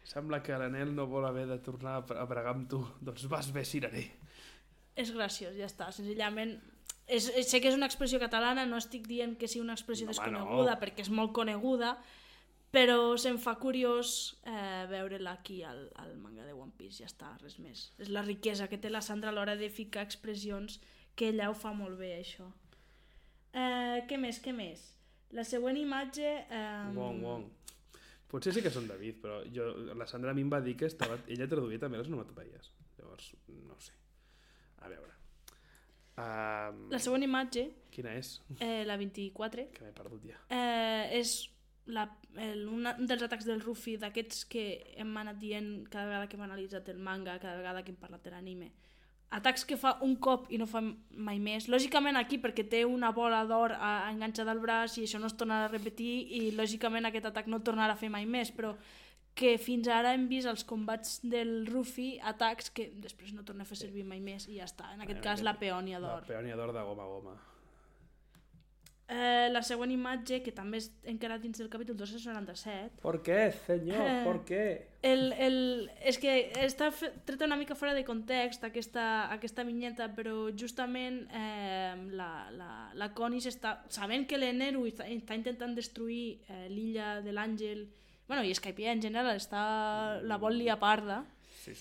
Sembla que l'Anel no vol haver de tornar a pregar amb tu, doncs vas bé cireré.
És graciós, ja està, senzillament... Sé que és una expressió catalana, no estic dient que sigui una expressió desconeguda, perquè és molt coneguda, però se'm fa curiós veure-la aquí al manga de One Piece, ja està, res més. És la riquesa que té la Sandra a l'hora de ficar expressions, que ella ho fa molt bé, això. Què més? La següent imatge...
Wong. Potser sí que són David, però la Sandra a mi em va dir que ella traduïa també les onomatopeies. Llavors, no sé. A veure.
La següent imatge...
Quina és?
La 24.
Que m'he perdut ja.
És un dels atacs del Ruffy, d'aquests que hem anat dient cada vegada que hem analitzat el manga, cada vegada que hem parlat de l'anime. Atacs que fa un cop i no fa mai més. Lògicament aquí perquè té una bola d'or enganxada al braç i això no es tornarà a repetir i lògicament aquest atac no tornarà a fer mai més, però que fins ara hem vist als combats del Ruffy atacs que després no torna a fer servir mai més i ja està. En aquest cas la peònia d'or.
La peònia d'or de goma a goma.
La següent imatge, que també és encara dins del capítol 297...
¿Por qué, senyor? ¿Por qué?
És que està treta una mica fora de context aquesta vinyeta, però justament la Connie sabent que l'Eneru està intentant destruir l'illa de l'Àngel, bueno, i Skypiea en general la vol liar parda,
Sí.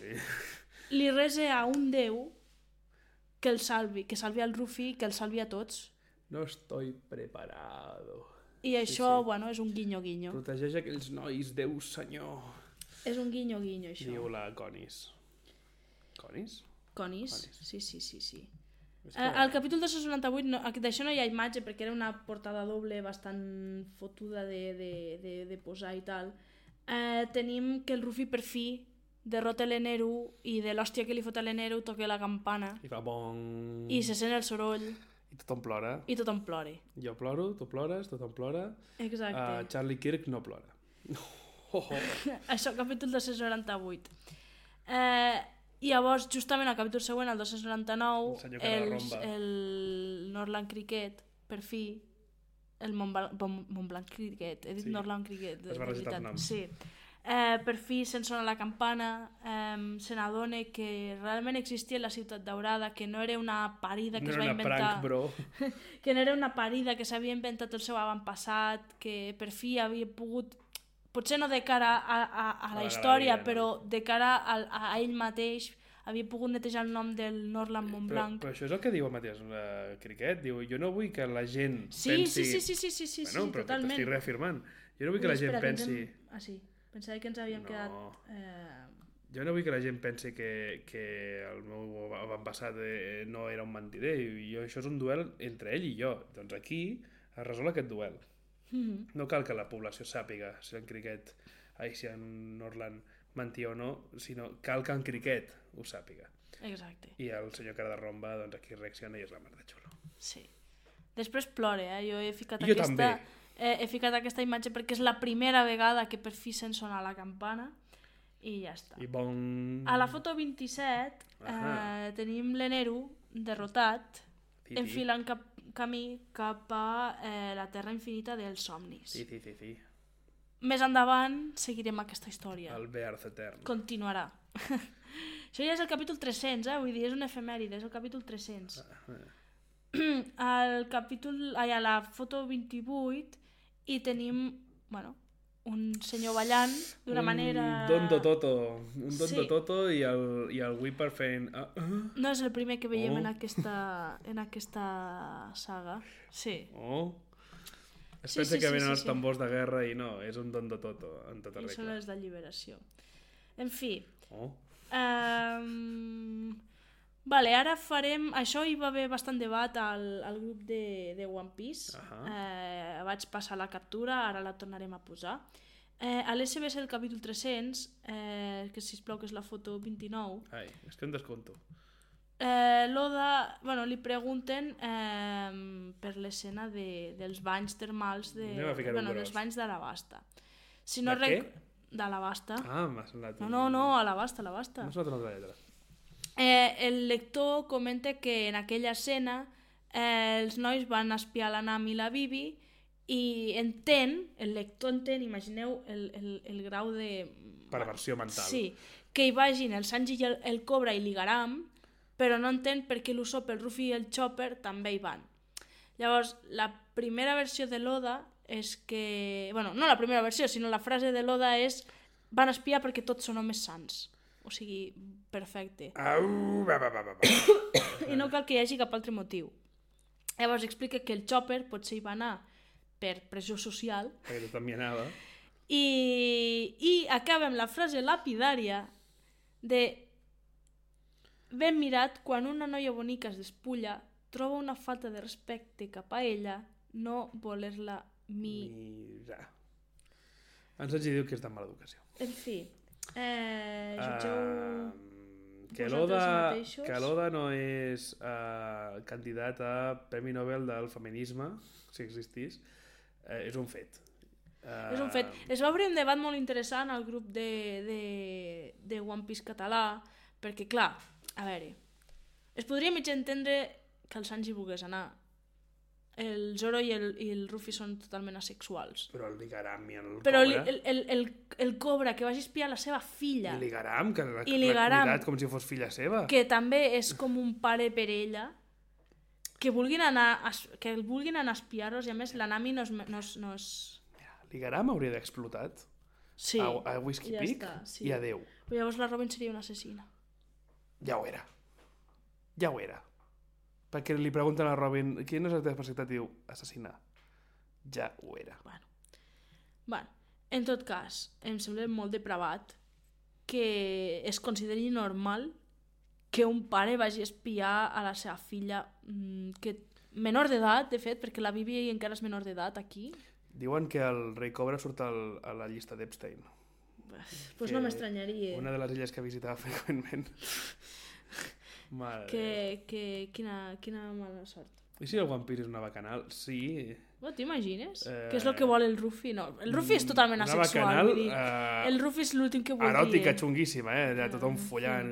li resa a un déu que el salvi, que salvi al Ruffy, que el salvi a tots.
No estoy preparado.
I això, bueno, és un guinyo-guinyo.
Protegeix aquells nois, Déu senyor.
És un guinyo-guinyo, això.
Diu la Conis. Conis?
Conis? Sí.
És que...
Al capítol 298, d'això no hi ha imatge perquè era una portada doble bastant fotuda de posar i tal. Tenim que el Ruffy per fi derrota l'Eneru i de l'hòstia que li fot a l'Eneru toca la campana
I fa bon...
i se sent el soroll
I tothom plora.
i tothom plora.
Jo ploro, tu plores, tothom plora.
Exacte.
Charlie Kirk no plora.
Això, capítol 298. I llavors, justament al capítol següent, el 299, el Northland Cricket, per fi, el Montblanc Cricket, he dit sí. Northland Cricket.
Has barrejat els noms.
Sí. Per fi se'n sona la campana, se n'adona que realment existia la Ciutat Daurada, que no era una parida que es va inventar,
prank, bro.
que no era una parida que s'havia inventat el seu avantpassat, que per fi havia pogut, potser no de cara a la història, però de cara a ell mateix, havia pogut netejar el nom del Northland Montblanc.
Però això és el que diu el Matías Criquet, diu, jo no vull que la gent
pensi...
Sí, bueno, però
totalment.
t'estic reafirmant. Jo no vull que la gent pensi...
Sí. Pensava que ens havíem quedat...
Jo no vull que la gent pensi que el meu avantpassat no era un mentider. Això és un duel entre ell i jo. Doncs aquí es resol aquest duel. No cal que la població sàpiga si en Cricket, si en Northland mentia o no, sinó cal que en Cricket ho sàpiga.
Exacte.
I el senyor cara de romba, doncs aquí reacciona i és la mar de xulo.
Sí. Després plora, Jo he ficat
jo també.
He ficat aquesta imatge perquè és la primera vegada que per fi se'n sona la campana i ja està.
I bon...
A la foto 27 tenim l'Eneru derrotat, enfilant camí cap a la terra infinita dels somnis.
Sí.
Més endavant seguirem aquesta història.
El Bearth Etern.
Continuarà. Això ja és el capítol 300, vull dir, és una efemèride, és el capítol 300. A la foto 28 i tenim, un senyor ballant d'una manera...
Un Don Toto i el Whipper fent...
No és el primer que veiem en aquesta saga. Sí.
Es pensa que venen els tambors de guerra i no, és un Don Toto en tota regla.
I són els d'alliberació. En fi. Vale, ara farem... Això hi va haver bastant debat al grup de One Piece. Vaig passar la captura, ara la tornarem a posar. A l'SBS el capítol 300, que sisplau que és la foto 29...
Ai, és que em desconto.
L'Oda, li pregunten per l'escena dels banys termals dels banys d'Alabasta. Si no
què?
D'Alabasta.
M'ha semblat...
No, Alabasta.
M'ha semblat una altra lletra.
El lector comenta que en aquella escena els nois van espiar la Nami i la Bibi i el lector entén, imagineu el grau de...
Perversió mental.
Sí, que hi vagin el Sanji i el Cobra i l'Igaram, però no entén per què l'Usopp, el Ruffy i el Chopper també hi van. Llavors, la primera versió de l'Oda és que... no la primera versió, sinó la frase de l'Oda és van espiar perquè tots són homes sants. O sigui, perfecte. I no cal que hi hagi cap altre motiu. Llavors explica que el Chopper potser hi va anar per pressió social.
Perquè tothom hi anava.
I acaba amb la frase lapidària de ben mirat, quan una noia bonica es despulla, troba una falta de respecte cap a ella no voler-la mirar.
Ens diu que és de mala educació.
En fi... jutgeu
que l'Oda no és candidat a Premi Nobel del Feminisme, si existís, és un fet.
És un fet. Es va obrir un debat molt interessant al grup de One Piece català, perquè clar, a veure, es podria mig entendre que el Sanji volgués anar, el Zoro i el Ruffy són totalment asexuals.
Però el Ligaram i el
Però
Cobra...
el Cobra, que vagi a espiar la seva filla...
I Ligaram, que l'ha
Ligaram,
cuidat com si fos filla seva.
que també és com un pare per ella, que vulguin anar a espiar-los, i a més la Nami no és...
Ligaram hauria d'explotat
Sí,
a Whiskey
ja
Peak
està, sí.
i adeu.
Però llavors la Robin seria una assassina.
Ja ho era. Ja ho era. Perquè li pregunten a la Robin quina és la teva especialitat, diu assassinar. Ja ho era.
Bueno, en tot cas, em sembla molt depravat que es consideri normal que un pare vagi a espiar a la seva filla, que menor d'edat, de fet, perquè la Bibi encara és menor d'edat aquí.
Diuen que el rei Cobra surt a la llista d'Epstein.
Pues no m'estranyaria.
Una de les illes que visitava freqüentment.
Quina mala sort.
I si el One Piece és una bacanal? Sí.
T'imagines? Què és el que vol el Ruffy? No, el Ruffy és totalment
una
asexual.
bacanal,
el Ruffy és l'últim que voldria.
eròtica xunguíssima, ja tothom follant.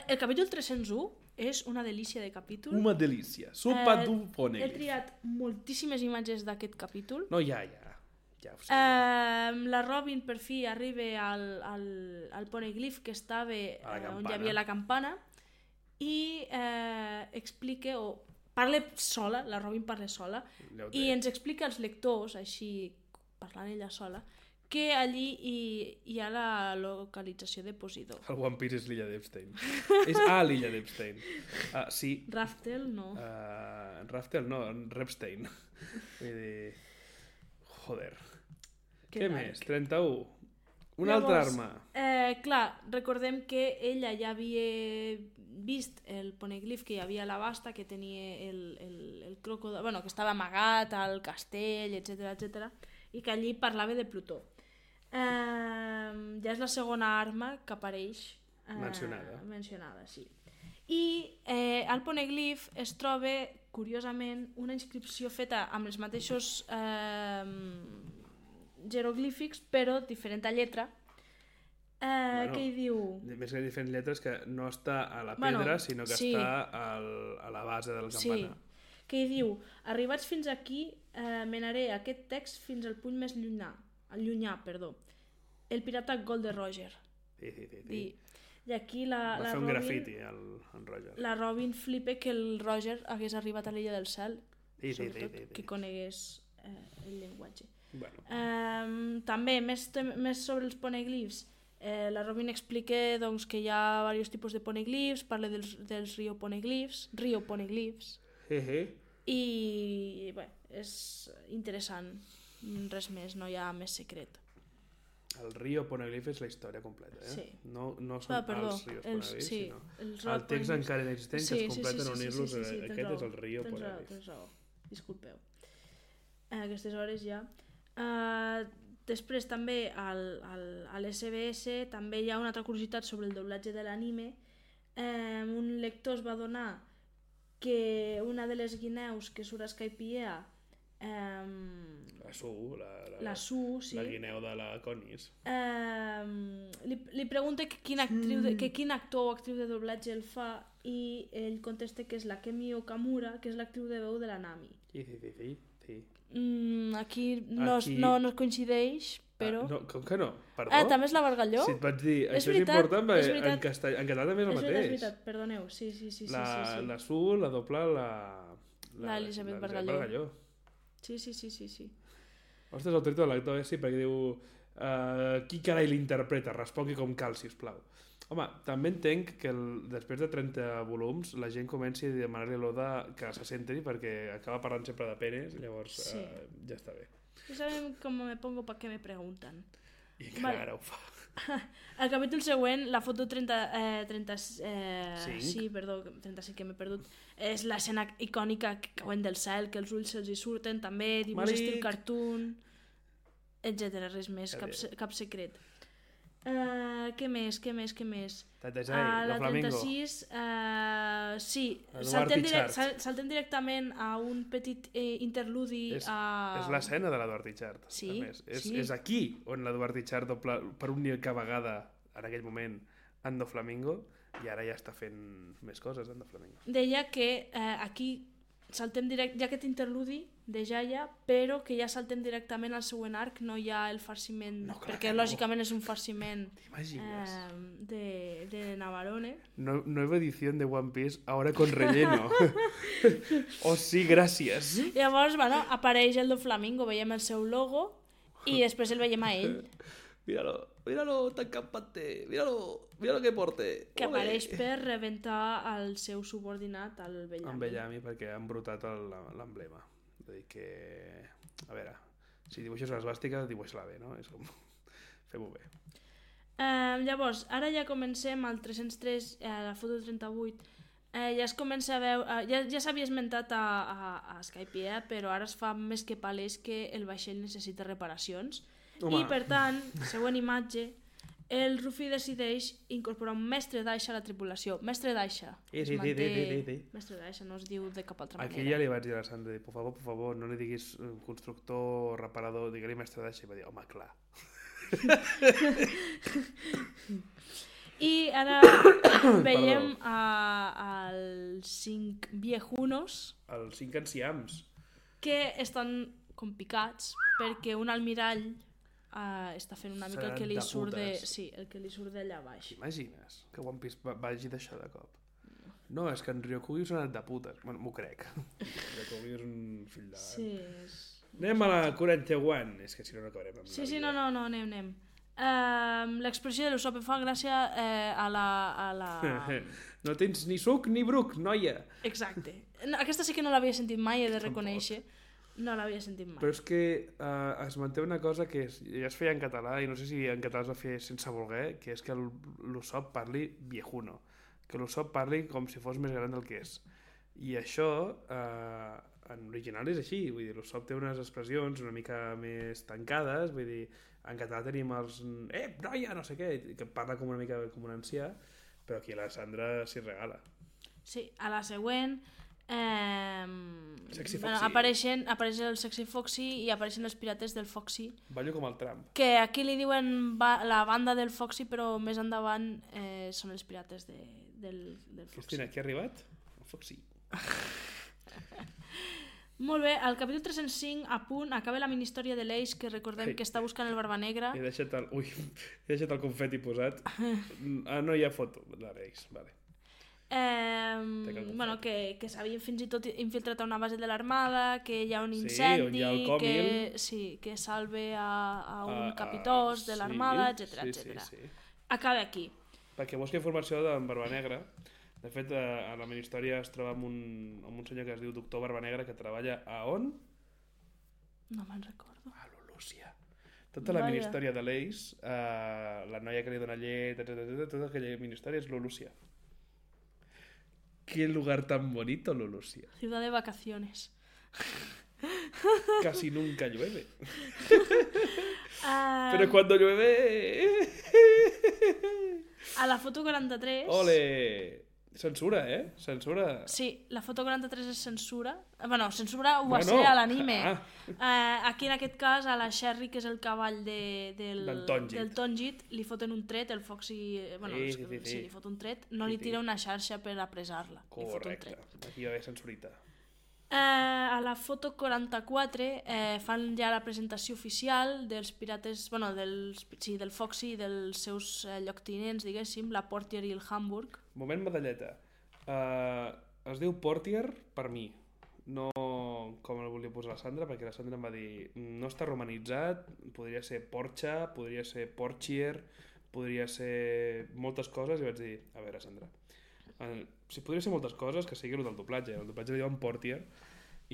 El capítol 301 és una delícia de capítol.
Una delícia. Sopa d'un
He
poneglyph.
triat moltíssimes imatges d'aquest capítol.
No, ja ho sé.
La Robin per fi arriba al poneglyph que estava on hi havia la campana i explica, o parla sola, la Robin parla sola, i ens explica als lectors, així parlant ella sola, que allí hi ha la localització de Posidó.
El One Piece és l'illa d'Epstein. És a l'illa d'Epstein. Sí.
Raftel no.
Raftel no, Repstein. Vull dir... Joder. Què més? 31. Una altra arma.
Clar, recordem que ella ja havia vist el poneglyph que hi havia a la Basta, que tenia el crocodil, bueno, que estava amagat al castell, etc, i que allí parlava de Plutó. Ja és la segona arma que apareix mencionada, sí. I al poneglyph es troba, curiosament, una inscripció feta amb els mateixos jeroglífics, però diferent a lletra, que hi diu...
Més que diferents lletres, que no està a la pedra, sinó que està a la base de la campana.
Sí, que hi diu: arribats fins aquí, menaré aquest text fins al punt més llunyà, el pirata Gold Roger.
Sí.
I aquí la
Va fer un
Robin,
grafiti, en Roger.
la Robin flipa que el Roger hagués arribat a l'illa del cel,
Sí.
que conegués el llenguatge.
Bueno.
També, més sobre els poneglyphs, la Robin explica doncs, que hi ha diversos tipus de poneglyphs, parla dels rio poneglyphs, i bé, és interessant, res més, no hi ha més secret.
El rio poneglyph és la història completa,
Sí.
No són els rios poneglyphs, sinó el text encara inexistent que es completen unir-los, aquest és el rio poneglyph.
Tens raó, disculpeu. A aquestes hores ja. Després també a l'SBS també hi ha una altra curiositat sobre el doblatge de l'anime. Un lector es va adonar que una de les guineus que surt a Skypiea,
la
Su, sí.
La guineu de la Conis.
Li pregunta que quin actor o actriu de doblatge el fa, i ell contesta que és la Kemi Okamura, que és l'actriu de veu de la Nami.
Sí.
Aquí no coincideix, però...
No, com que no? Perdó?
També és la Bargalló?
Si et vaig dir, això és important, perquè en català també és el mateix.
És veritat, perdoneu, sí.
La Su, la doble,
l'Elisabet Bargalló. Sí.
Ostres, el tret de l'actor, sí, perquè diu qui carai l'interpreta? Respongui com cal, sisplau. Home, també entenc que després de 30 volums la gent comenci a demanar-li a l'Oda que se centri, perquè acaba parlant sempre de penes, llavors ja està bé.
Ja sabem com me pongo pa què me pregunten.
I encara ara ho fa.
Al capítol següent, la foto 35, que m'he perdut, és l'escena icònica que cauen del cel, que els ulls se'ls hi surten, també, dibuix estil cartoon, etc. Res més, cap secret. Què més?
La
36, sí, saltem directament a un petit interludi.
És l'escena de l'Eduard Itxart.
Sí.
És aquí on l'Eduard Itxart doble per única vegada, en aquell moment, en Doflamingo, i ara ja està fent més coses en Doflamingo.
Deia que aquí saltem hi ha aquest interludi de Jaya, però que ja saltem directament al següent arc, no hi ha el farciment, perquè lògicament és un farciment de Navarone.
Nueva edición de One Piece, ahora con relleno. Oh sí, gràcies.
Llavors, bueno, apareix el Doflamingo, veiem el seu logo i després el veiem a ell.
Míralo, tan campante, míralo que porte.
Que apareix per rebentar el seu subordinat, el Bellamy.
En Bellamy, perquè han brotat l'emblema. És a dir que... A veure, si dibuixes l'esvàstica, dibuixa-la bé, no? És com... Fem-ho bé.
Llavors, ara ja comencem al 303, a la foto 38, ja es comença a veure... Ja s'havia esmentat a Skypiea, però ara es fa més que palès que el vaixell necessita reparacions. Home. I per tant, següent imatge, el Ruffy decideix incorporar un mestre d'aixa a la tripulació. Mestre d'aixa. Es manté... Mestre d'aixa, no es diu de cap altra manera.
Aquí ja li vaig dir a la Sandra, por favor, no li diguis constructor, reparador, digue-li mestre d'aixa. I va dir, home, clar.
I ara veiem els 5 viejunos.
Els 5 anciams.
Que estan com picats perquè un almirall està fent una mica el que li surt el que li surt d'allà baix.
T'imagines que One Piece vagi d'això de cop? No, és que en Ryokugi s'ha anat de putes. Bueno, m'ho crec. Ryokugi és un fill de...
Sí,
Anem a la 41. És que si no acabarem amb
Sí, no, anem. L'expressió de l'Usopp fa gràcia a la...
No tens ni suc ni bruc, noia.
Exacte. Aquesta sí que no l'havia sentit mai, he de reconèixer. No l'havia sentit mai.
Però és que es manté una cosa que ja es feia en català, i no sé si en català es va fer sense voler, que és que l'Usopp parli viejuno. Que l'Usopp parli com si fos més gran del que és. I això, en original és així. Vull dir, l'Usopp té unes expressions una mica més tancades. Vull dir, en català tenim els... noia, no sé què, que parla com una mica com un ancià, però aquí la Sandra s'hi regala.
Sí, a la següent...
Sexy Foxy.
Apareix el Sexy Foxy i apareixen els pirates del Foxy.
Ballo com el Trump.
Que aquí li diuen la banda del Foxy, però més endavant són els pirates del Foxy.
Cristina, qui ha arribat? El Foxy.
Molt bé, al capítol 305 a punt acaba la mini-història de l'Ace, que recordem que està buscant el Barba Negra.
He deixat el confeti posat. No hi ha foto de l'Ace, vale.
Bueno, que s'havien fins i tot infiltrat a una base de l'armada, que hi ha un incendi, que salve a un capitós de l'armada, etc. Acaba aquí.
Perquè busca informació d'en Barba Negra. De fet, a la mini-història es troba amb un senyor que es diu Doctor Barba Negra, que treballa a on?
No me'n recordo.
A l'Olúcia. Tota la mini-història de l'Ace, la noia que li dona llet, tota aquella mini-història és l'Olúcia. Qué lugar tan bonito, Lulusia.
Ciudad de vacaciones.
Casi nunca llueve. Pero cuando llueve...
A la foto 43...
Ole! Censura, eh? Censura.
Sí, la foto 43 és censura. Bueno, censura ho va ser a l'anime. Aquí, en aquest cas, a la Sherry, que és el cavall del Tonjit, li foten un tret, el Foxy... Bueno, sí, li fot un tret. No li tira una xarxa per apressar-la.
Correcte. Aquí va haver censurita.
A la foto 44 fan ja la presentació oficial dels pirates, bueno, del Foxy i dels seus lloctinents, diguéssim, la Portier i el Hamburg.
Moment medalleta. Es diu Portier per mi, no com el volia posar la Sandra, perquè la Sandra em va dir no està romanitzat, podria ser Porcha, podria ser Portier, podria ser moltes coses, i vaig dir, a veure, Sandra, si podria ser moltes coses, que sigui el del doblatge. El doblatge li diuen Portier,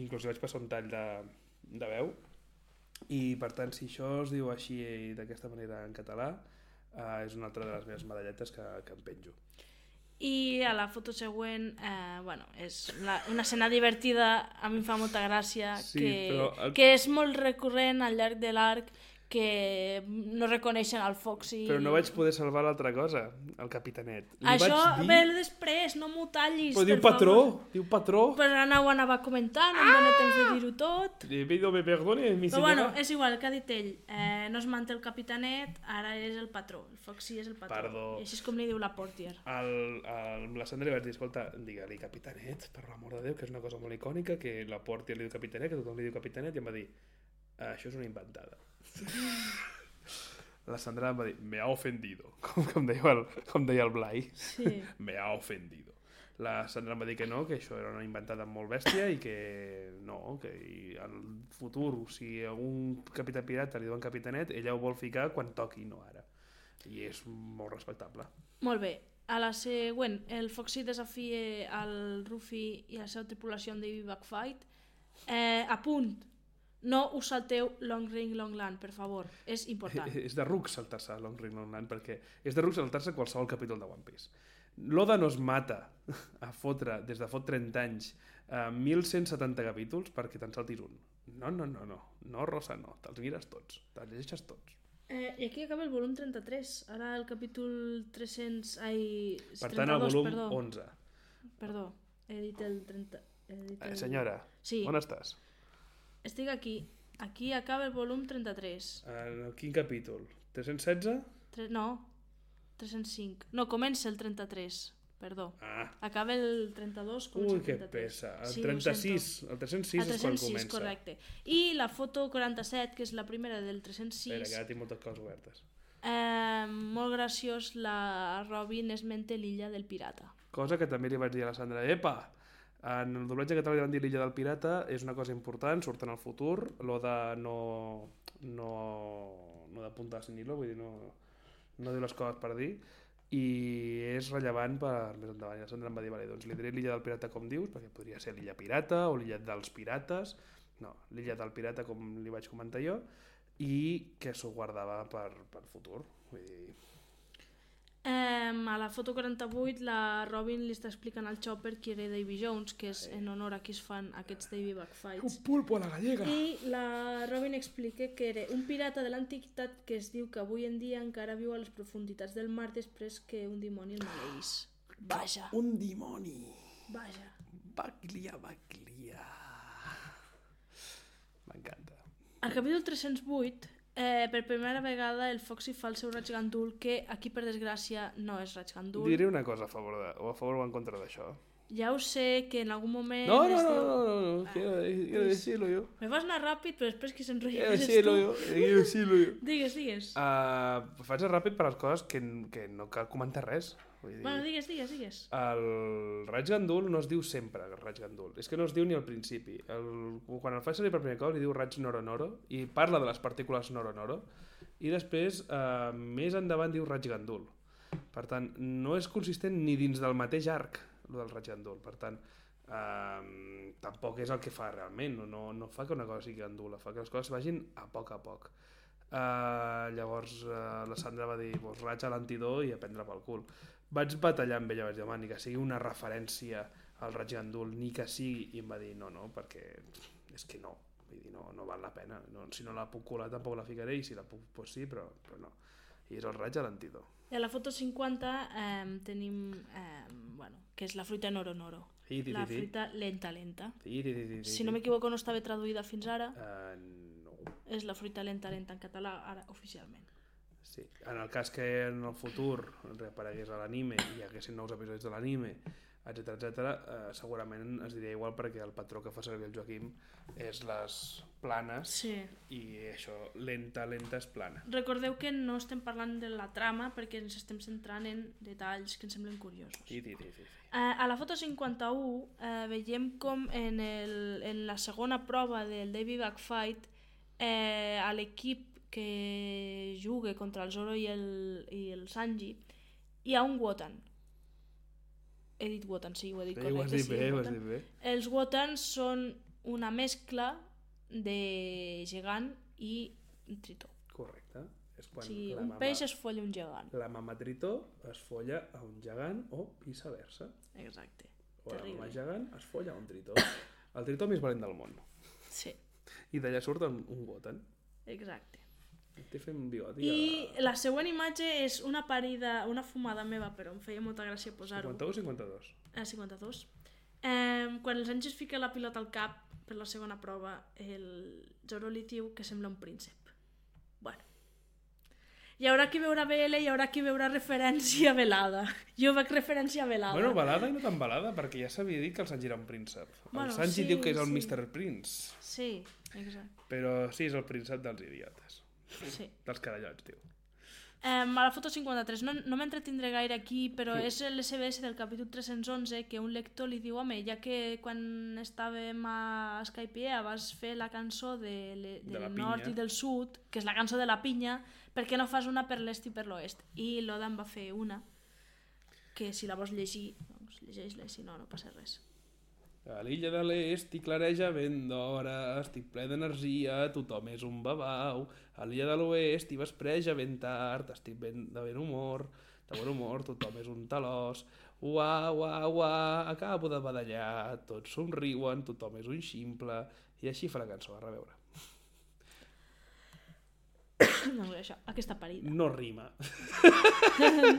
inclús vaig passar un tall de veu, i per tant, si això es diu així d'aquesta manera en català, és una altra de les meves medalletes que em penjo.
I a la foto següent, bueno, és una escena divertida, a mi em fa molta gràcia, que és molt recurrent al llarg de l'arc, que no reconeixen el Foxy.
Però no vaig poder salvar l'altra cosa, el capitanet.
Això ve després, no m'ho tallis,
però
per favor.
Diu patró.
Però ara ho anava comentant, em dóna temps de dir-ho tot.
Le pido me perdone, mi
Però
senyora.
bueno, és igual, que ha dit ell. No es manté el capitanet, ara és el patró. El Foxy és el patró.
Perdó.
I així és com li diu la Portier.
La Sandra li vaig dir, escolta, digue-li capitanet, per l'amor de Déu, que és una cosa molt icònica, que la Portier li diu capitanet, que tothom li diu capitanet, i em va dir, això és una inventada. La Sandra em va dir, me ha ofendido, com deia el Blai.
Sí.
Me ha ofendido. La Sandra em va dir que no, que això era una inventada molt bèstia i que no, que al futur, si algun capità pirata li diuen capitanet, ella ho vol ficar quan toqui, no ara. I és molt respectable.
Molt bé. A la següent, el Foxy desafia al Ruffy i a la seva tripulació en Davy Backfight. A punt. No us salteu Long Ring Long Land, per favor. És important.
És de ruc saltar-se Long Ring Long Land, perquè és de ruc saltar-se qualsevol capítol de One Piece. L'Oda no es mata a fotre, des de fot 30 anys, 1.170 capítols perquè te'n saltis un. No, Rosa, no. Te'ls mires tots, te'ls llegeixes tots.
I aquí acaba el volum 33. Ara el capítol 300...
Per tant, el volum 11.
Perdó, he dit el 30...
Senyora,
sí.
On estàs?
Estic aquí. Aquí acaba el volum 33.
Quin capítol? 316?
No, 305. No, comença el 33, perdó. Acaba el 32, comença el 33. Ui,
que pessa. El 36, el 306 és quan comença.
Correcte. I la foto 47, que és la primera del 306...
Espera, que ara tinc moltes coses obertes.
Molt graciós, la Robin esmenta l'illa del pirata.
Cosa que també li vaig dir a la Sandra, epa! En el doblatge català li van dir l'illa del pirata, és una cosa important, surt en el futur, l'Oda no d'apuntar sin hilo, vull dir, no diu les coses per dir, i és rellevant per més endavant. I la Sandra em va dir, vale, doncs li diré l'illa del pirata com dius, perquè podria ser l'illa pirata o l'illa dels pirates, no, l'illa del pirata com li vaig comentar jo, i que s'ho guardava per futur, vull dir...
A la foto 48 la Robin li està explicant al Chopper qui era Davy Jones, que és en honor a qui es fan aquests Davy Backfights.
Un pulpo a la gallega!
I la Robin explica que era un pirata de l'antiguitat que es diu que avui en dia encara viu a les profunditats del mar després que un dimoni el maleís. Vaja!
Un dimoni!
Vaja!
Baglia! M'encanta.
Al capítol 308 per primera vegada el Foxy fa el seu raig gandul, que aquí per desgràcia no és raig gandul.
Diré una cosa a favor o en contra d'això.
Ja ho sé que en algun moment...
No, quiero decirlo yo.
Me vas anar ràpid, però després que s'enrotlla
quiero decirlo yo.
Digues.
Faig ràpid per les coses que no cal comentar res.
Bueno, digues.
El raig gandul no es diu sempre raig gandul. És que no es diu ni al principi. Quan el faig servir per primer cop li diu raig noro-noro i parla de les partícules noro-noro i després més endavant diu raig gandul. Per tant, no és consistent ni dins del mateix arc el del raig gandul. Per tant, tampoc és el que fa realment. No fa que una cosa sigui gandula, fa que les coses vagin a poc. Llavors la Sandra va dir raig a l'antidor i a prendre pel cul. Vaig batallar amb ella, vaig dir, ni que sigui una referència al raig gandul, ni que sigui, i em va dir no, perquè és que no, vull dir, no val la pena, si no la puc colar tampoc la ficaré, i si la puc, doncs sí, però no. I és el raig a l'antidor.
I a la foto 50 tenim, que és la fruita noro-noro. La fruita lenta. Si no m'equivoco no estava traduïda fins ara.
No.
És la fruita lenta en català, ara oficialment.
Sí. En el cas que en el futur reaparegués a l'anime i hi haguessin nous episodis de l'anime, etc., segurament es diria igual perquè el patró que fa servir el Joaquim és les planes, sí. I això, lenta és plana.
Recordeu que no estem parlant de la trama perquè ens estem centrant en detalls que ens semblen curiosos.
Sí.
A la foto 51 veiem com en la segona prova del Davy Backfight a l'equip que juga contra el Zoro i el Sanji hi ha un Wotan. He dit Wotan, sí, ho he dit correcte.
Ho has dit bé.
Els Wotans són una mescla de gegant i tritó.
Correcte. És quan
un peix es folla un gegant.
La mama tritó es folla a un gegant o viceversa.
Exacte.
O la mama gegant es folla a un tritó. El tritó més valent del món.
Sí.
I d'allà surt un Wotan.
Exacte.
Té fent bigoti.
I la següent imatge és una parida, una fumada meva, però em feia molta gràcia posar-ho.
51 o 52?
52. Quan el Sanji es fica la pilota al cap per la segona prova, el Zoro li diu que sembla un príncep. Bueno. Hi haurà qui veurà BL i hi haurà qui veurà referència a Velada. Jo veig referència a Velada.
Bueno, balada i no tan balada, perquè ja s'havia dit que el Sanji era un príncep.
Bueno,
el Sanji
sí,
diu que és el
sí.
Mr. Prince.
Sí, exacte.
Però sí, és el príncep dels idiotes.
Sí.
Dels carallots, diu.
A la foto 53, no m'entretindré gaire aquí, però és l'SBS del capítol 311 que un lector li diu: home, ja que quan estàvem a Skypiea vas fer la cançó del nord i del sud, que és la cançó de la pinya, per què no fas una per l'est i per l'oest? I l'Oda em va fer una, que si la vols llegir, doncs llegeix-la, si no, no passa res.
A l'illa de l'est hi clareja ben d'hora, estic ple d'energia, tothom és un babau. A l'illa de l'oest hi vespreja ben tard, estic de bon humor, tothom és un talòs. Uà, uà, uà, acabo de badallar, tots somriuen, tothom és un ximple. I així fa la cançó, a reveure.
Doncs això, aquesta parida.
No rima.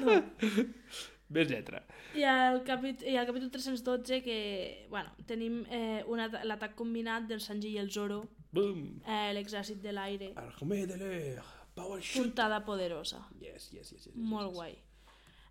No.
Ves lletra.
I al capítol 312 que, bueno, tenim l'atac combinat del Sanji i el Zoro,
Boom!
l'exèrcit de l'aire,
Armée de l'air, power shoot.
puntada poderosa.
Yes.
Molt guai.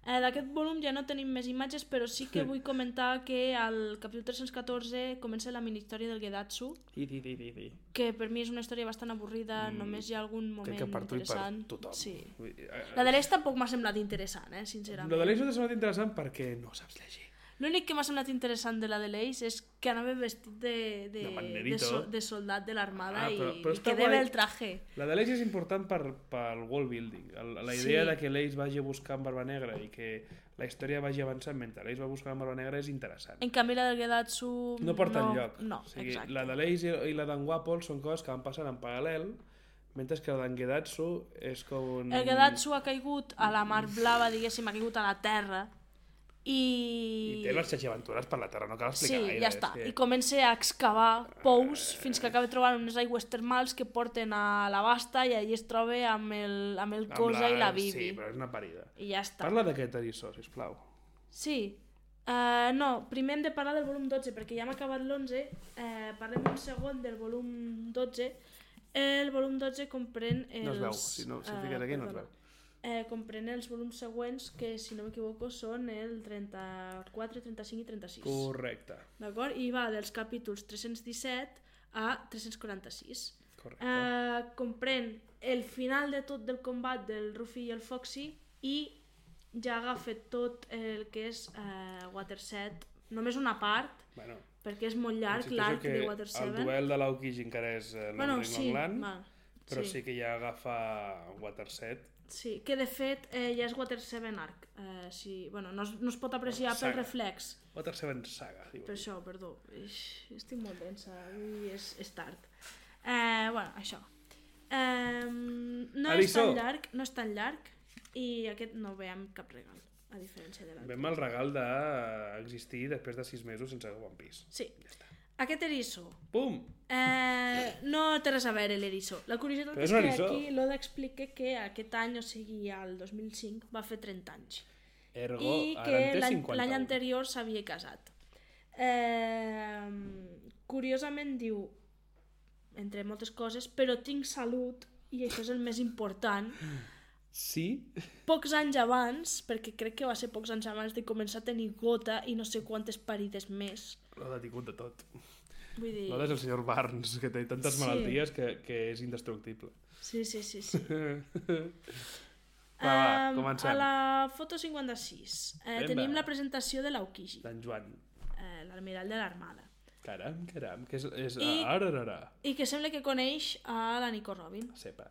D'aquest volum ja no tenim més imatges, però sí que vull comentar que al capítol 314 comença la mini-història del Gedatsu, que per mi és una història bastant avorrida, només hi ha algun moment
que per tu i per
interessant.
tothom.
Sí.
Vull dir,
La de l'Est tampoc m'ha semblat interessant, sincerament.
La de l'Eix no t'ha semblat interessant perquè no saps llegir.
L'únic que m'ha semblat interessant de la de l'Eix és que anava vestit de soldat de l'armada i que debe el traje.
La de l'Eix és important pel world building. La idea de que l'Eix vagi a buscar en Barba Negra i que la història vagi avançant mentre l'Eix va buscar en Barba Negra és interessant.
En canvi la del Gedatsu
No porta enlloc.
No,
o sigui,
exacte.
la de l'Eix i la d'en Guapol són coses que van passant en paral·lel, mentre que la d'en Gedatsu és com un...
El Gedatsu ha caigut a la mar blava, diguéssim, ha caigut a la terra i
té les xaixaventures per la terra, no cal explicar gaire.
Sí, ja està. I comença a excavar pous fins que acaba trobant unes aigües termals que porten a la Basta i allí es troba amb el Cosa i la Bibi.
Sí, però és una parida.
I ja està.
Parla d'aquest eriçó, sisplau.
Sí. No, primer hem de parlar del volum 12 perquè ja hem acabat l'11. Parlem un segon del volum 12. El volum 12 comprèn els...
No es veu, si fiques aquí no es veu.
Comprèn els volums següents que, si no m'equivoco, són el 34, 35 i 36.
Correcte.
D'acord? I va dels capítols 317 a 346.
Correcte.
Comprèn el final de tot del combat del Ruffy i el Foxy i ja agafa tot el que és Water 7, només una part,
Bueno,
perquè és molt llarg l'arc de Water 7.
El duel de l'Aokiji encara és Long Land, però sí que ja agafa Water 7.
Sí, que de fet ja és Water 7 arc. No es pot apreciar pel reflex.
Water 7 saga.
Per això, perdó. Estic molt densa i és tard. Això. No és tan llarg i aquest no veiem cap regal, a diferència de l'altre.
Vem el regal d'existir després de 6 mesos sense One Piece.
Sí.
Ja està.
Aquest eriçó.
Pum!
No té res a veure l'eriçó. La curiositat és que aquí l'Oda explica que aquest any, o sigui, el 2005, va fer 30 anys.
Ergo,
i que l'any anterior s'havia casat. Curiosament diu, entre moltes coses, però tinc salut i això és el més important.
Sí?
Pocs anys abans, perquè crec que va ser pocs anys abans de començar a tenir gota i no sé quantes parides més.
L'Oda ha tingut de tot.
Vull dir...
L'Oda és el senyor Barnes, que té tantes malalties que és indestructible.
Sí.
Va, comencem.
A la foto 56 tenim la presentació de l'Aokiji,
d'en Joan.
l'almirall de l'armada.
Caram, que és
I que sembla que coneix a la Nico Robin.
Sepa.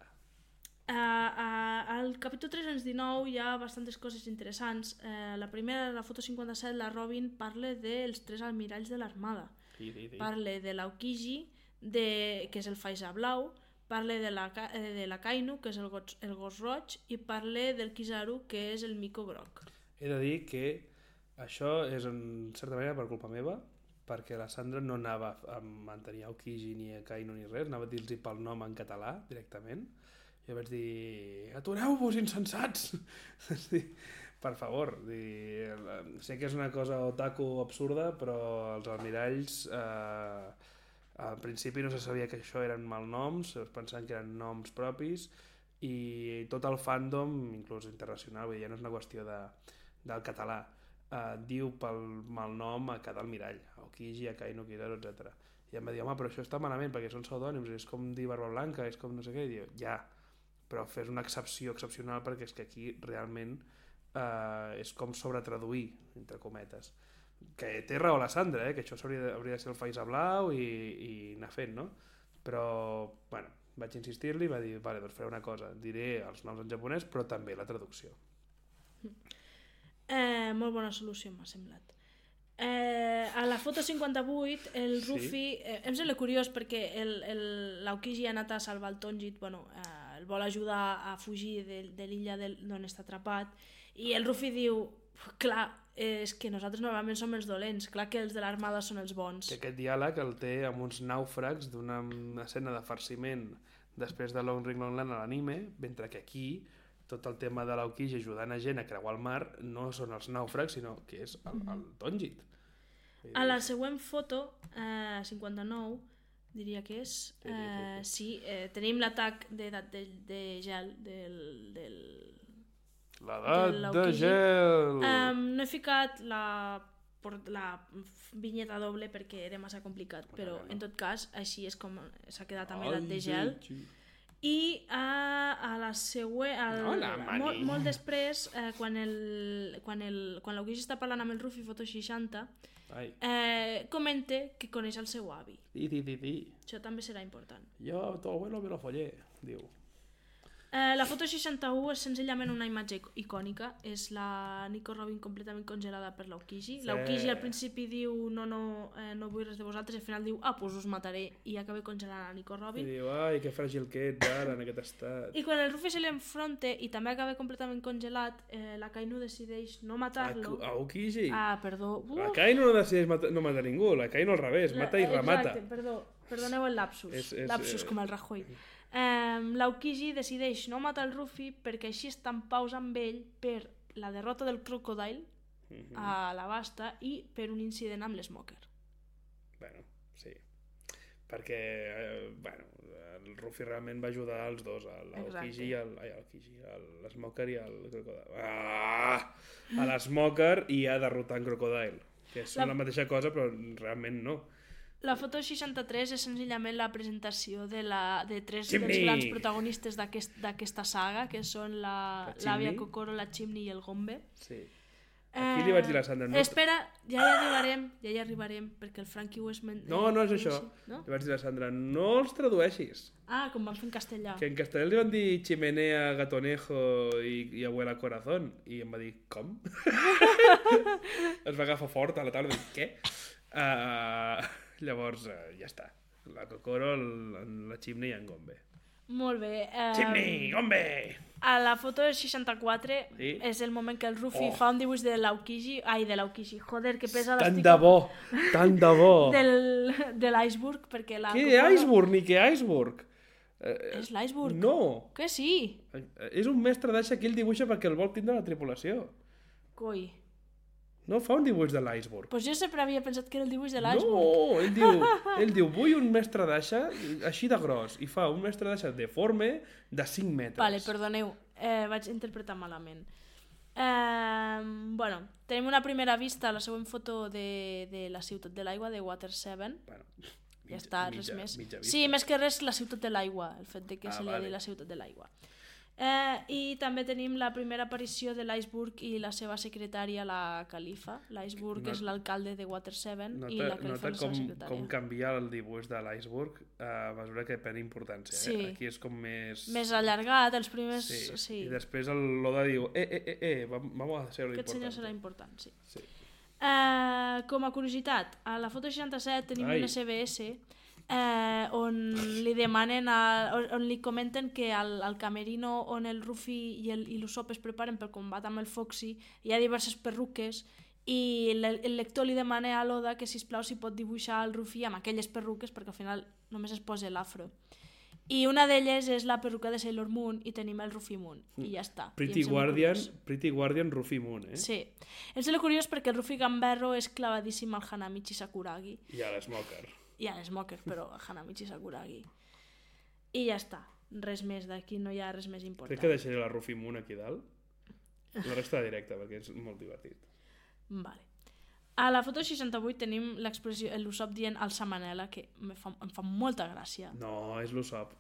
Al capítol 319 hi ha bastantes coses interessants. La primera, la foto 57, la Robin parla dels 3 almiralls de l'armada. Parla de l'Aokiji, que és el Faiza Blau, parla de la Kainu, que és el gos roig, i parla del Kizaru, que és el Miko groc.
He de dir que això és en certa manera per culpa meva, perquè la Sandra no anava a mantenir Aokiji ni a Kainu ni res, anava a dir-los pel nom en català directament. Jo vaig dir, atureu-vos, insensats! Per favor, sé que és una cosa otaku absurda, però els almiralls al principi no se sabia que això eren malnoms, es pensaven que eren noms propis, i tot el fandom, inclús internacional, vull dir, ja no és una qüestió del català, diu pel malnom a cada almirall, a Aokiji, a Kaino Kizaru, etc. I em va dir, home, però això està malament perquè són pseudònims, és com dir Barba Blanca, és com no sé què, i diu, ja, però fes una excepció excepcional perquè és que aquí realment és com sobretraduir, entre cometes. Que té raó la Sandra, que això hauria de ser el Faisa Blau i anar fent, no? Però, bueno, vaig insistir-li i va dir, vale, doncs faré una cosa, diré els noms en japonès però també la traducció.
Molt bona solució m'ha semblat. A la foto 58 el Ruffy em sembla curiós perquè l'Aokiji ha anat a salvar el Tonjit, bueno, el vol ajudar a fugir de l'illa d'on està atrapat, i el Ruffy diu, clar, és que nosaltres normalment som els dolents, clar que els de l'armada són els bons.
Que aquest diàleg el té amb uns nàufrags d'una escena de farciment després de Long Ring Long Land a l'anime, mentre que aquí tot el tema de l'Aokiji ajudant a gent a creuar el mar no són els nàufrags, sinó que és el Tonjit.
A la següent foto, 59, diria que és, sí, tenim l'atac d'edat de gel
l'edat de gel!
No he ficat la vinyeta doble perquè era massa complicat, però en tot cas així és com s'ha quedat amb l'edat de gel. I a la següent, molt després, quan l'Aokiji està parlant amb el Ruffy, foto 60, comenta que coneix el seu avi. Això també serà important.
Jo, tu abuelo me lo follé, diu.
La foto 61 és senzillament una imatge icònica, és la Nico Robin completament congelada per l'Aokiji. Sí. L'Aokiji al principi diu no vull res de vosaltres, i al final diu pues us mataré, i acaba congelant la Nico Robin.
I diu, ai, que fràgil que ets ara en aquest estat.
I quan el Ruffy se li enfronta i també acaba completament congelat, la Kaino decideix no matar-lo.
Aokiji?
Perdó.
La Kaino no decideix no matar ningú, la Kaino al revés, mata i remata.
Exacte, perdoneu el lapsus, lapsus com el Rajoy. L'Aokiji decideix no matar el Ruffy perquè així està en paus amb ell per la derrota del Crocodile a la Basta i per un incident amb l'Smoker.
Bueno, sí. Perquè, el Ruffy realment va ajudar els dos, l'Aokiji i l'Smoker i el Crocodile. A l'Smoker i a derrotar en Crocodile, que són la mateixa cosa però realment no.
La foto 63 és senzillament la presentació de tres dels grans protagonistes d'aquesta saga, que són l'àvia Kokoro, la Chimney i el Gombe.
Sí. Aquí li vaig dir a la Sandra...
Espera, ja hi arribarem, perquè el Frankie ho és...
No és això. Li vaig dir a la Sandra, no els tradueixis.
Com van fer en castellà.
Que en castellà li van dir chimenea, gatonejo i abuela corazón. I em va dir, com? Es va agafar fort a la tarda. Què? Llavors, ja està. La Kokoro, la Chimney i en Gombe.
Molt bé.
Chimney, Gombe!
A la foto 64 és el moment que el Ruffy fa un dibuix de l'Aokiji... de l'Aokiji, joder, que pesa l'estic...
Tant de bo!
De l'iceberg, perquè la...
Què iceberg, ni què iceberg?
És l'iceberg?
No!
Que sí?
És un mestre d'aixa que ell dibuixa perquè el vol tindre la tripulació.
Coi.
No fa un dibuix de l'iceberg.
Pues jo sempre havia pensat que era el dibuix de l'iceberg.
No, ell diu, vull un mestre d'aixa així de gros, i fa un mestre d'aixa deforme de 5 metres.
Vale, perdoneu, vaig interpretar malament. Tenim una primera vista a la següent foto de la ciutat de l'aigua, de Water 7. Ja està, res més. Sí, més que res la ciutat de l'aigua, el fet de que se li ha dit la ciutat de l'aigua. I també tenim la primera aparició de l'Iceberg i la seva secretària, la Califa. L'Iceberg és l'alcalde de Water 7 i la Califa és la seva secretària.
Com canvia el dibuix de l'Iceberg a mesura que pren importància.
Sí.
Aquí és com més...
Més allargat, els primers...
Sí. I després l'Oda diu, vamos a hacer lo
Aquest
important.
senyor serà important, sí. Com a curiositat, a la foto 67 tenim un SBS on li demanen on li comenten que al camerino on el Ruffy i l'Usopp es preparen pel combat amb el Foxy hi ha diverses perruques i el lector li demana a l'Oda que sisplau si pot dibuixar el Ruffy amb aquelles perruques perquè al final només es posa l'afro I una d'elles és la perruca de Sailor Moon i tenim el Rufy Moon. I ja està.
Pretty Guardian Rufy Moon, eh?
Sí. Em sembla curiós perquè el Rufy Gamberro és clavadíssim al Hanamichi Sakuragi.
I a l'Smoker.
I a l'Smoker, però al Hanamichi Sakuragi. I ja està. Res més d'aquí, no hi ha res més important.
Crec que deixaré la Rufy Moon aquí dalt. La resta directa, perquè és molt divertit.
Vale. A la foto 68 tenim l'expressió, l'Usopp dient al Samanela, que em fa molta gràcia.
No, és l'Usopp.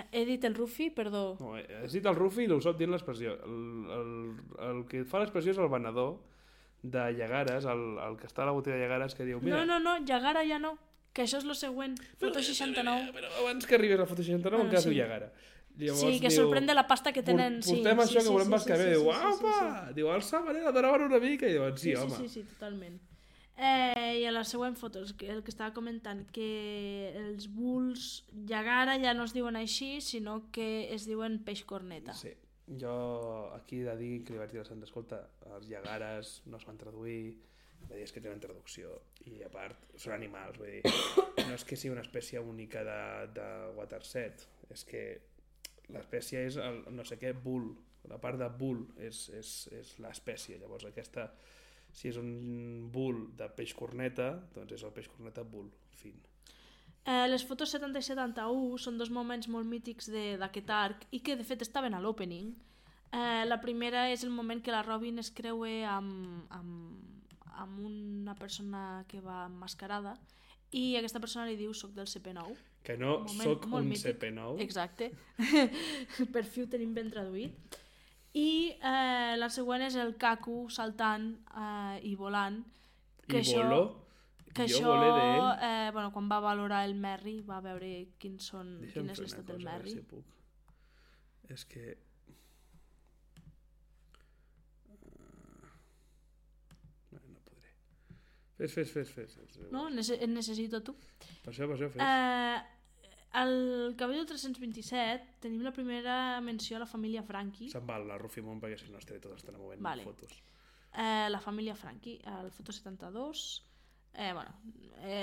He dit el Rufy, perdó.
No, has dit el Rufy i l'Usopp dient l'expressió. El que fa l'expressió és el venedor de Llagares, el que està a la botiga de Llagares, que diu... Mira,
No, Llagara ja no, que això és lo següent. Foto 69.
Però abans que arribis a la foto 69 encara diu Llagara.
Llavors, sí, que sorprèn de la pasta que tenen.
Portem això que volem bascar bé. Diu, apa! Diu, el Samanela donaven una mica. I diuen, sí, home.
Sí, totalment. I a la següent foto, el que estava comentant, que els bulls Llagara ja no es diuen així, sinó que es diuen peix corneta.
Sí, jo aquí he de dir que li vaig dir a la Sandra, escolta, els Llagares no es van traduir, va dir, és que tenen traducció, i a part són animals, vull dir, no és que sigui una espècie única de Waterset, és que l'espècie és el no sé què bull, la part de bull és l'espècie, llavors aquesta... Si és un bull de peix corneta, doncs és el peix corneta bull, fin.
Les fotos 70 i 71 són dos moments molt mítics d'aquest arc i que de fet estaven a l'opening. La primera és el moment que la Robin es creua amb una persona que va emmascarada i aquesta persona li diu soc del CP9.
Que no soc un mític. CP9.
Exacte. Per fi ho tenim ben traduït. I la següent és el Kaku saltant i volant.
Que I voló?
Que
jo
això,
volé d'ell.
Quan va valorar el Merry, va veure quin és l'estat del Merry.
Si puc. És que... No podré. Fes.
No? En necessito tu.
Per això, fes.
Al Cabello 327 tenim la primera menció a la família Frankie.
Se'n val la Rufy Moon perquè si no estaré tot estan movent fotos.
La família Frankie, al foto 72.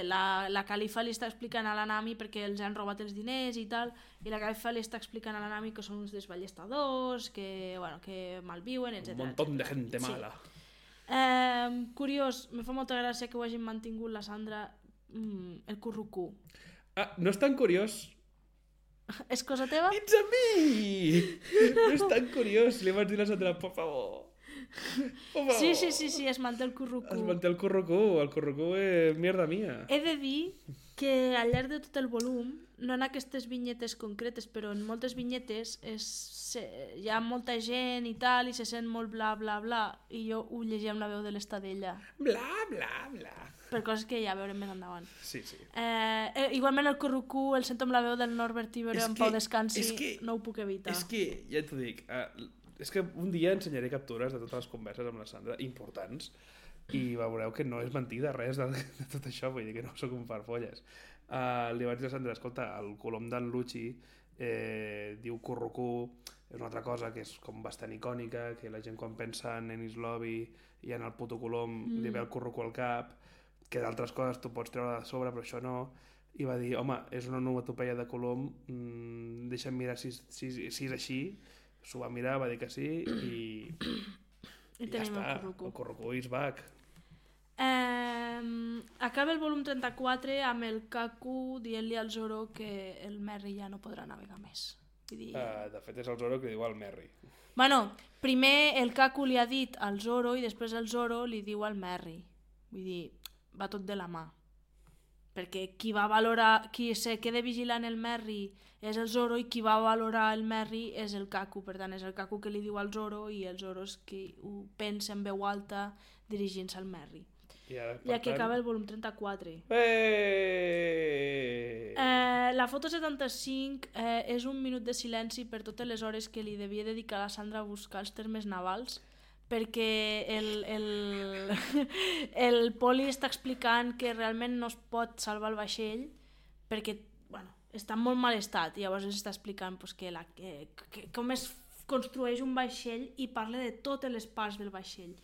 La califa li està explicant a la Nami perquè els han robat els diners i tal, i la califa li està explicant a la Nami que són uns desballestadors, que malviuen, etc.
Un montón de gente mala.
Curiós, me fa molta gràcia que ho hagin mantingut la Sandra, el currucú.
No és tan curiós.
És cosa teva?
It's a me! No és tan curiós. Li vaig dir a la Sandra, por favor.
Sí, es manté el currucú.
Es manté el currucú. El currucú és mierda mia.
He de dir que al llarg de tot el volum, no en aquestes vinyetes concretes, però en moltes vinyetes hi ha molta gent i tal, i se sent molt bla bla bla, i jo ho llegia amb la veu de l'Estadella.
Bla bla bla.
Per coses que ja veurem més endavant.
Sí.
Igualment el currucú el sento amb la veu del Norbert Ibero en Pau Descansi, no ho puc evitar.
És que, ja t'ho dic, és que un dia ensenyaré captures de totes les converses amb la Sandra, importants, i veureu que no és mentida res de tot això, vull dir que no sóc un farfolles. Li vaig dir a Sandra, escolta, el colom d'en Lucci diu currucú, és una altra cosa que és com bastant icònica, que la gent quan pensa en Ennis Lobby i en el puto colom li ve el currucú al cap, que d'altres coses tu pots treure de sobre, però això no, i va dir, home, és una onomatopeia de colom, deixa'm mirar si és així, s'ho va mirar, va dir que sí, i ja està, el currucú is back.
Acaba el volum 34 amb el Kaku dient-li al Zoro que el Merry ja no podrà navegar més.
De fet és el Zoro que diu al Merry.
Primer el Kaku li ha dit al Zoro i després el Zoro li diu al Merry. Vull dir, va tot de la mà, perquè qui se queda vigilant el Merry és el Zoro i qui va valorar el Merry és el Kaku, per tant és el Kaku que li diu al Zoro i el Zoro és qui ho pensa en veu alta dirigint-se al Merry. I aquí acaba el volum 34. La foto 75 és un minut de silenci per totes les hores que li devia dedicar a la Sandra a buscar els termes navals, perquè el Poli està explicant que realment no es pot salvar el vaixell perquè està en molt mal estat, i llavors ens està explicant que com es construeix un vaixell i parla de totes les parts del vaixell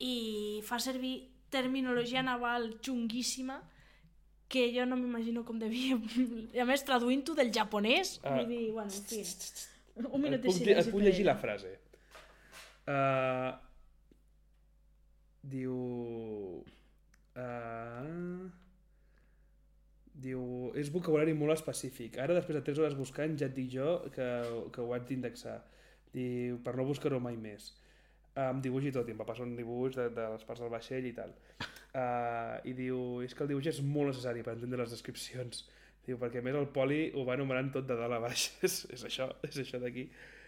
i fa servir terminologia naval xunguíssima que jo no m'imagino com devia... I a més, traduint-ho del japonès, vull dir, bueno, en fi. Un minut de silenci.
Et puc llegir la frase. Diu... Diu... És vocabulari molt específic. Ara, després de 3 hores buscant, ja et dic jo que ho haig d'indexar. Diu, per no buscar-ho mai més. Amb dibuix i tot, i em va passar un dibuix de les parts del vaixell i tal. I diu, és que el dibuix és molt necessari per entendre les descripcions. Diu, perquè a més el poli ho va enumerant tot de dalt a baix. és això d'aquí.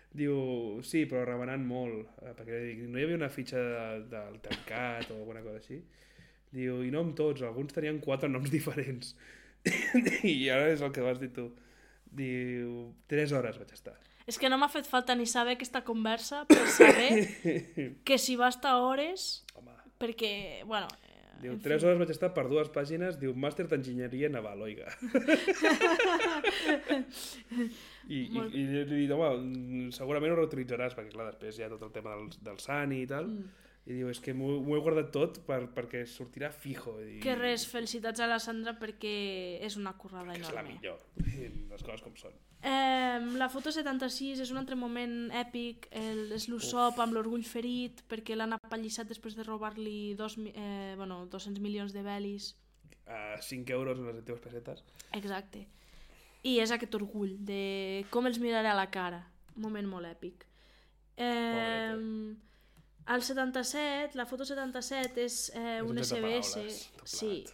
Diu, sí, però remenant molt, perquè no hi havia una fitxa del tancat o alguna cosa així. Diu, i no amb tots, alguns tenien 4 noms diferents. I ara és el que vas dir tu. Diu, 3 hores vaig estar.
És que no m'ha fet falta ni saber aquesta conversa per saber que si va estar hores...
Home.
Perquè, bueno...
Diu, 3 hores vaig estar per 2 pàgines, diu, màster d'enginyeria naval, oiga. I he dit, home, segurament ho reutilitzaràs, perquè clar, després hi ha tot el tema del Sani i tal, i diu, és que m'ho he guardat tot perquè sortirà fijo.
Que res, felicitats a la Sandra perquè és una currada enorme.
És la millor, les coses com són.
La foto 76 és un altre moment èpic, és l'Usopp amb l'orgull ferit perquè l'han apallissat després de robar-li 200 milions de belis.
5 euros en les antigues pessetes.
Exacte. I és aquest orgull de com els miraré a la cara. Un moment molt èpic. El 77, la foto 77 és un SBS. Sí.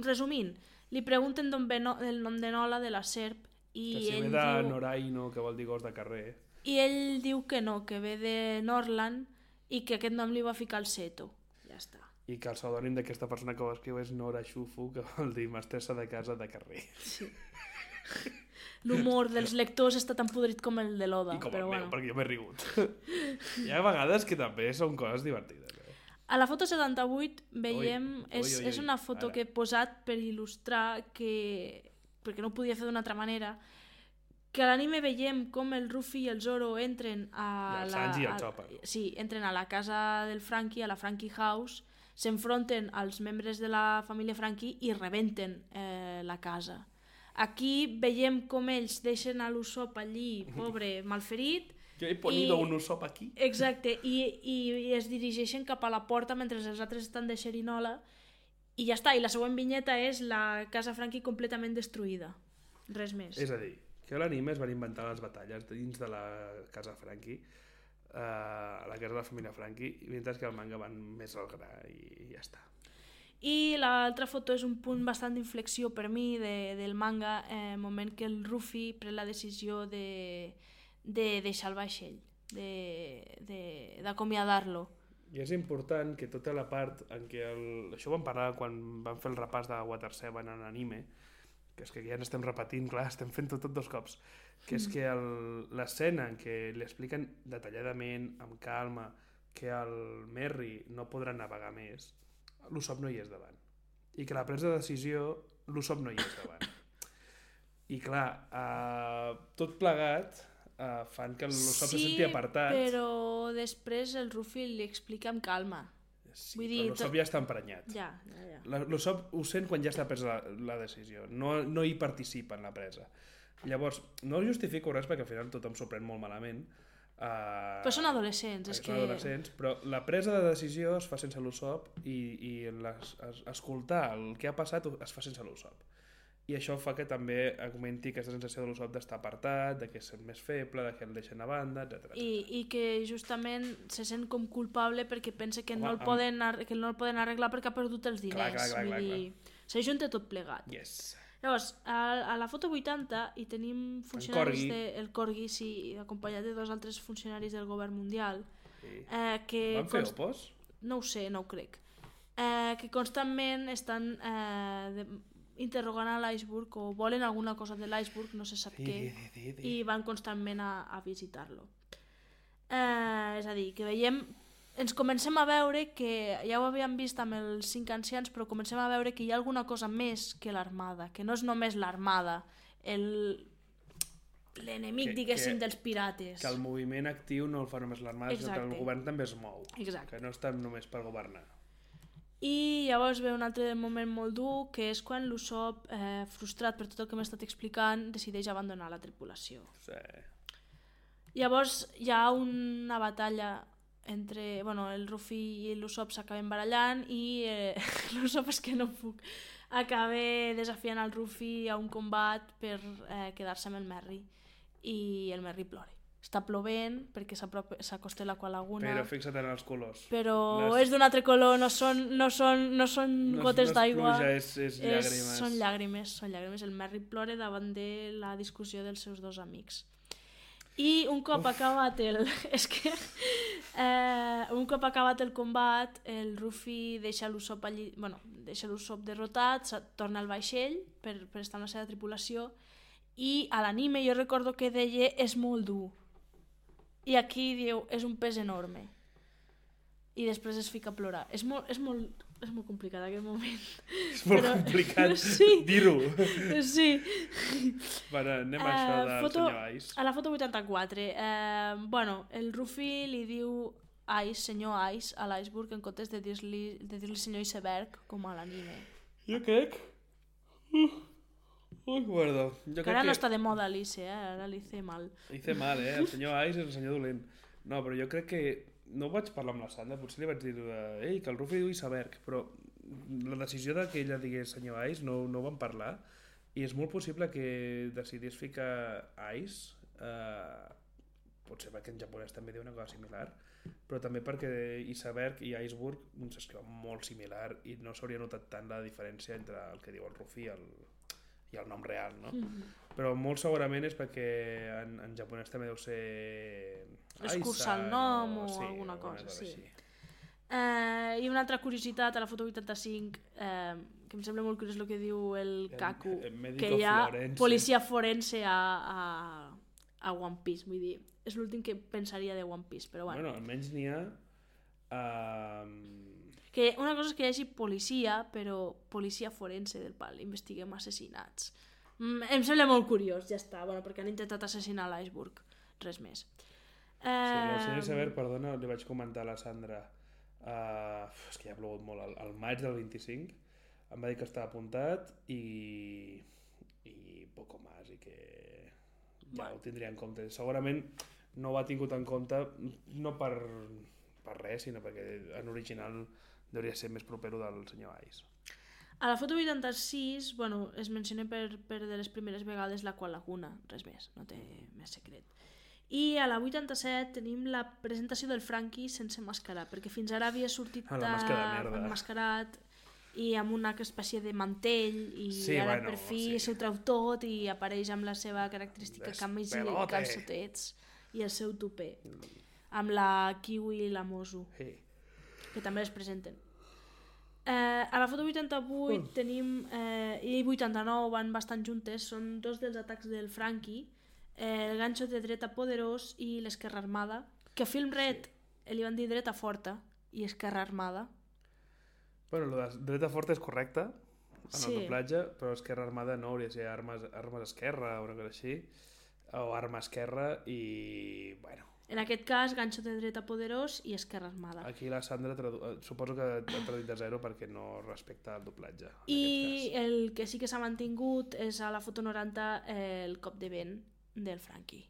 Resumint, li pregunten d'on ve el nom de Nola, de la serp, i
que si
ell
ve de
diu...
Noraino, que vol dir gos de carrer.
I ell diu que no, que ve de Norland i que aquest nom li va ficar el Seto. Ja està.
I que el pseudònim d'aquesta persona que ho escriu és Nora Xufu, que vol dir mestressa de casa de carrer.
Sí. L'humor dels lectors està tan podrit com el de l'Oda.
I com
però
el meu,
bueno.
perquè jo m'he rigut. Hi ha vegades que també són coses divertides.
A la foto 78 veiem... És una foto
ara
que he posat per il·lustrar que... perquè no ho podia fer d'una altra manera, que a l'anime veiem com el Ruffy i el Zoro entren a
el Sanji i el Chopper.
Sí, entren a la casa del Frankie, a la Frankie House, s'enfronten als membres de la família Frankie i rebenten la casa. Aquí veiem com ells deixen a l'Usopp allí, pobre, malferit.
Jo he ponido un Usopp aquí.
Exacte, i es dirigeixen cap a la porta mentre els altres estan de xerinola i ja està, i la següent vinyeta és la casa Frankie completament destruïda. Res més.
És a dir, que a l'anime es van inventar les batalles dins de la casa Frankie, la casa de la família Frankie, mentre que el manga van més al gra i ja està.
I l'altra foto és un punt bastant d'inflexió per mi del manga, moment que el Ruffy pren la decisió de deixar el vaixell, d'acomiadar-lo.
I és important que tota la part en què això ho vam parlar quan vam fer el repàs de Water 7 en anime, que és que ja n'estem repetint, clar, estem fent tot 2 cops, que és que l'escena en què li expliquen detalladament, amb calma, que el Merry no podrà navegar més, l'Usopp no hi és davant. I que la presa de decisió, l'Usopp no hi és davant. I clar, tot plegat fan que l'Usopp se senti apartat.
Sí, però després el Ruffy li explica amb calma.
Sí, però l'Usopp ja està emprenyat.
Ja.
L'Usopp ho sent quan ja està presa la decisió, no hi participa en la presa. Llavors, no justifico res perquè al final tothom s'ho pren molt malament.
Però són adolescents.
Són adolescents, però la presa de decisió es fa sense l'Usopp i escoltar el que ha passat es fa sense l'Usopp. I això fa que també augmenti aquesta sensació de l'Usopp d'estar apartat, de que és més feble, de que el deixen a banda, etc.
I que justament se sent com culpable perquè pensa que no el poden arreglar perquè ha perdut els diners.
Clar.
S'ajunta tot plegat.
Yes.
Llavors, a la foto 80 hi tenim funcionaris el Corgi, sí, acompanyat de 2 altres funcionaris del govern mundial.
Sí.
Van
fer opos?
No ho sé, no ho crec. Que constantment estan interrogant a l'iceberg o volen alguna cosa de l'iceberg, no se sap què, i van constantment a visitar-lo. És a dir, que veiem... Ens comencem a veure que, ja ho havíem vist amb els 5 ancians, però comencem a veure que hi ha alguna cosa més que l'armada, que no és només l'armada, l'enemic, diguéssim, dels pirates.
Que el moviment actiu no el fa només l'armada, sinó que el govern també es mou.
Exacte.
Que no està només per governar.
I llavors ve un altre moment molt dur, que és quan l'Usopp, frustrat per tot el que m'he estat explicant, decideix abandonar la tripulació.
Sí.
Llavors hi ha una batalla entre... Bueno, el Ruffy i l'Usopp s'acaben barallant i l'Usopp, és que no puc, acaba desafiant el Ruffy a un combat per quedar-se amb el Merry. I el Merry plora. Està plovent perquè s'acosta l'Aqua Laguna.
Però fixa't en els colors.
Però és d'un altre color, no són gotes d'aigua.
No és pluja, és llàgrimes.
Són llàgrimes. El Merry plora davant de la discussió dels seus dos amics. I un cop acabat el... És que... un cop acabat el combat, el Ruffy deixa l'Usopp allí... Bueno, deixa l'Usopp derrotat, torna al vaixell per estar amb la seva tripulació, i a l'anime jo recordo que deia és molt dur. I aquí diu, és un pes enorme. I després es fica a plorar. És molt complicat aquest moment.
És molt complicat dir-ho.
Sí.
Bueno, anem a això del senyor Ice.
A la foto 84. Bueno, el Ruffy li diu Ice, senyor Ice, a l'Iceberg, en comptes de dir-li senyor Iceberg, com a l'anime.
Jo crec... guardo.
Ara no està de moda Alice, ara l'hice mal.
Hice mal, el senyor Ice és el senyor dolent. No, però jo crec que... No ho vaig parlar amb la Sandra, potser li vaig dir que el Ruffy diu Iceberg, però la decisió de que ella digués senyor Ice no ho vam parlar, i és molt possible que decidís ficar Ice, potser perquè en japonès també diu una cosa similar, però també perquè Iceberg i Iceberg s'escriuen molt similar i no s'hauria notat tant la diferència entre el que diu el Ruffy i el nom real, no? Però molt segurament és perquè en japonès també deu ser...
Escurçar el nom o alguna cosa, sí. I una altra curiositat, a la foto 85, que em sembla molt curiós el que diu el Kaku, que hi ha policia forense a One Piece, vull dir, és l'últim que pensaria de One Piece, però bueno.
Bueno, almenys n'hi ha...
Que una cosa és que hi hagi policia, però policia forense del pal, investiguem assassinats. Em sembla molt curiós, ja està, bueno, perquè han intentat assassinar l'Iceberg, res més.
Sí, el senyor Iceberg, perdona, li vaig comentar a la Sandra, és que ja ha plogut molt, al maig del 25, em va dir que estava apuntat i poco más, i que ja ho tindria en compte. Segurament no ho ha tingut en compte, no per res, sinó perquè en original hauria ser més propero del senyor Ice.
A la foto 86, bueno, es menciona per de les primeres vegades l'Aqua Laguna, res més, no té més secret. I a la 87 tenim la presentació del Franky sense mascarar, perquè fins ara havia sortit emmascarat i amb una espècie de mantell i ara per fi s'ho treu tot i apareix amb la seva característica camisa i calçotets i el seu tupé, amb la Kiwi i la Mozu, que també es presenten. A la foto 88 tenim i 89 van bastant juntes, són dos dels atacs del Franky, el ganxo de dreta poderós i l'esquerra armada, que a Film Red li van dir dreta forta i esquerra armada.
Bueno, la dreta forta és correcta en el doblatge, però esquerra armada no, hauria de ser armes esquerra o una cosa així, o arma esquerra i... bueno.
En aquest cas, ganxo de dreta poderós i esquerra armada.
Aquí la Sandra suposo que ha traduït de zero perquè no respecta el doblatge.
I el que sí que s'ha mantingut és a la foto 90 el cop de vent del Franky.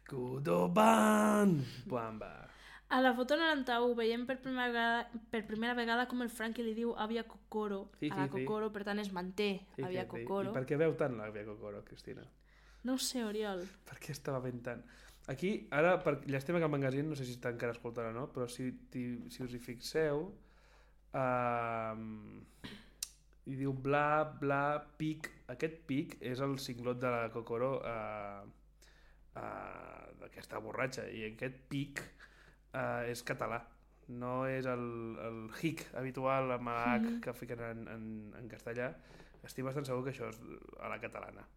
Kudoban! Bamba!
A la foto 91 veiem per primera vegada com el Franky li diu Avia Kokoro a la Kokoro, per tant es manté Avia Kokoro.
I per què veu tant l'Avia Kokoro, Cristina?
No ho sé, Oriol.
Per què estava ben tant? Aquí, ara, llàstima que el magazine, no sé si està encara escoltant o no, però si us hi fixeu, i diu bla, bla, pic. Aquest pic és el cinglot de la Kokoro d'aquesta borratxa, i aquest pic és català. No és el hic habitual amb H que fiquen en castellà. Estic bastant segur que això és a la catalana.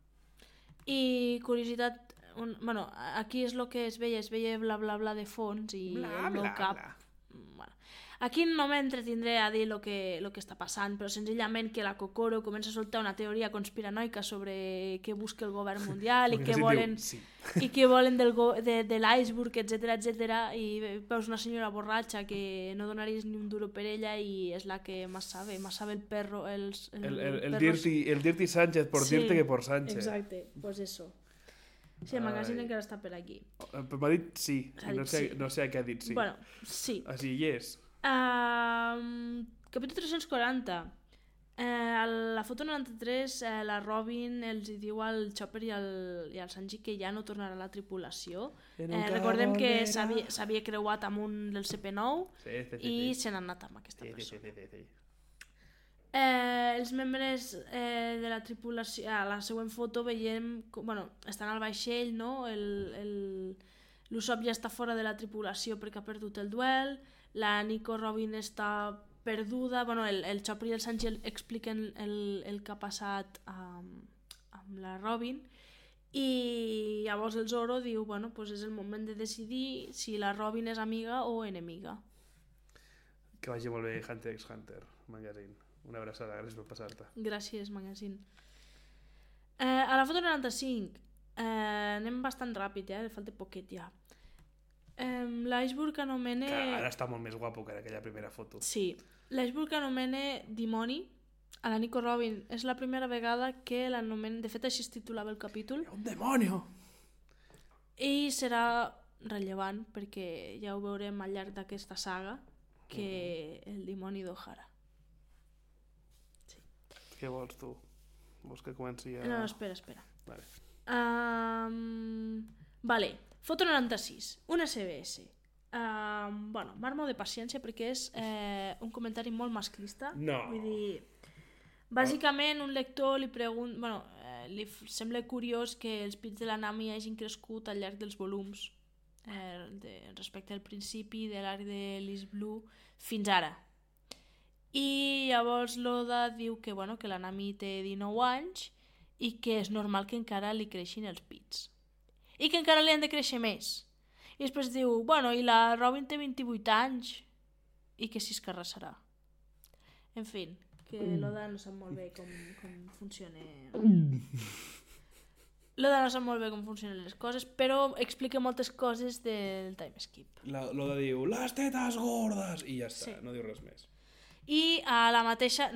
I curiositat, bueno, aquí és el que es veia bla bla bla de fons i el meu cap Bueno. Aquí no m'entretindré a dir el que està passant, però senzillament que la Kokoro comença a soltar una teoria conspiranoica sobre què busca el govern mundial i què volen, i què volen de l'iceberg, etc. I veus una senyora borratxa que no donaries ni un duro per ella i és la que más sabe el perro. El
Dirty Sánchez, por dirte que por Sánchez.
Exacte, pues eso. Sí, el magazine encara està per aquí.
M'ha dit sí, no sé a què ha dit sí.
Bueno, sí.
Així, yes.
Capítol 340. A la foto 93 la Robin els diu al Chopper i al Sanji que ja no tornarà a la tripulació. Recordem que s'havia creuat amb un del CP9 i se n'ha anat amb aquesta persona. Els membres de la tripulació, a la següent foto veiem, estan al vaixell, no? L'Usopp ja està fora de la tripulació perquè ha perdut el duel, la Nico Robin està perduda, el Chopper i el Sanji expliquen el que ha passat amb la Robin i llavors el Zoro diu, pues és el moment de decidir si la Robin és amiga o enemiga.
Que vagi molt bé Hunter x Hunter, magazine. Una abraçada, gràcies per passar-te.
Gràcies, magazine. A la foto 95 anem bastant ràpid, falta poquet ja. L'iceberg anomena...
Que ara està molt més guapo que en aquella primera foto.
Sí. L'iceberg anomena dimoni a la Nico Robin. És la primera vegada que l'anomena... De fet, així es titulava el capítol.
Un demonio!
I serà rellevant perquè ja ho veurem al llarg d'aquesta saga que el dimoni d'Ohara. Sí.
Què vols tu? Vols que comenci a...
No, espera.
Vale.
Vale. Foto 96, una CBS. Marmo de paciència perquè és un comentari molt masclista.
No.
Vull dir, bàsicament un lector li pregunta... li sembla curiós que els pits de la Nami hagin crescut al llarg dels volums respecte al principi de l'arc de l'East Blue fins ara. I llavors l'Oda diu que la Nami té 19 anys i que és normal que encara li creixin els pits. I que encara li han de créixer més. I després diu, i la Robin té 28 anys i que si es carrassarà. En fi, que l'Oda no sap molt bé com funciona. L'Oda no sap molt bé com funcionen les coses, però explica moltes coses del time skip.
L'Oda diu, les tetes gordes, i ja està, no diu res més.
I a la mateixa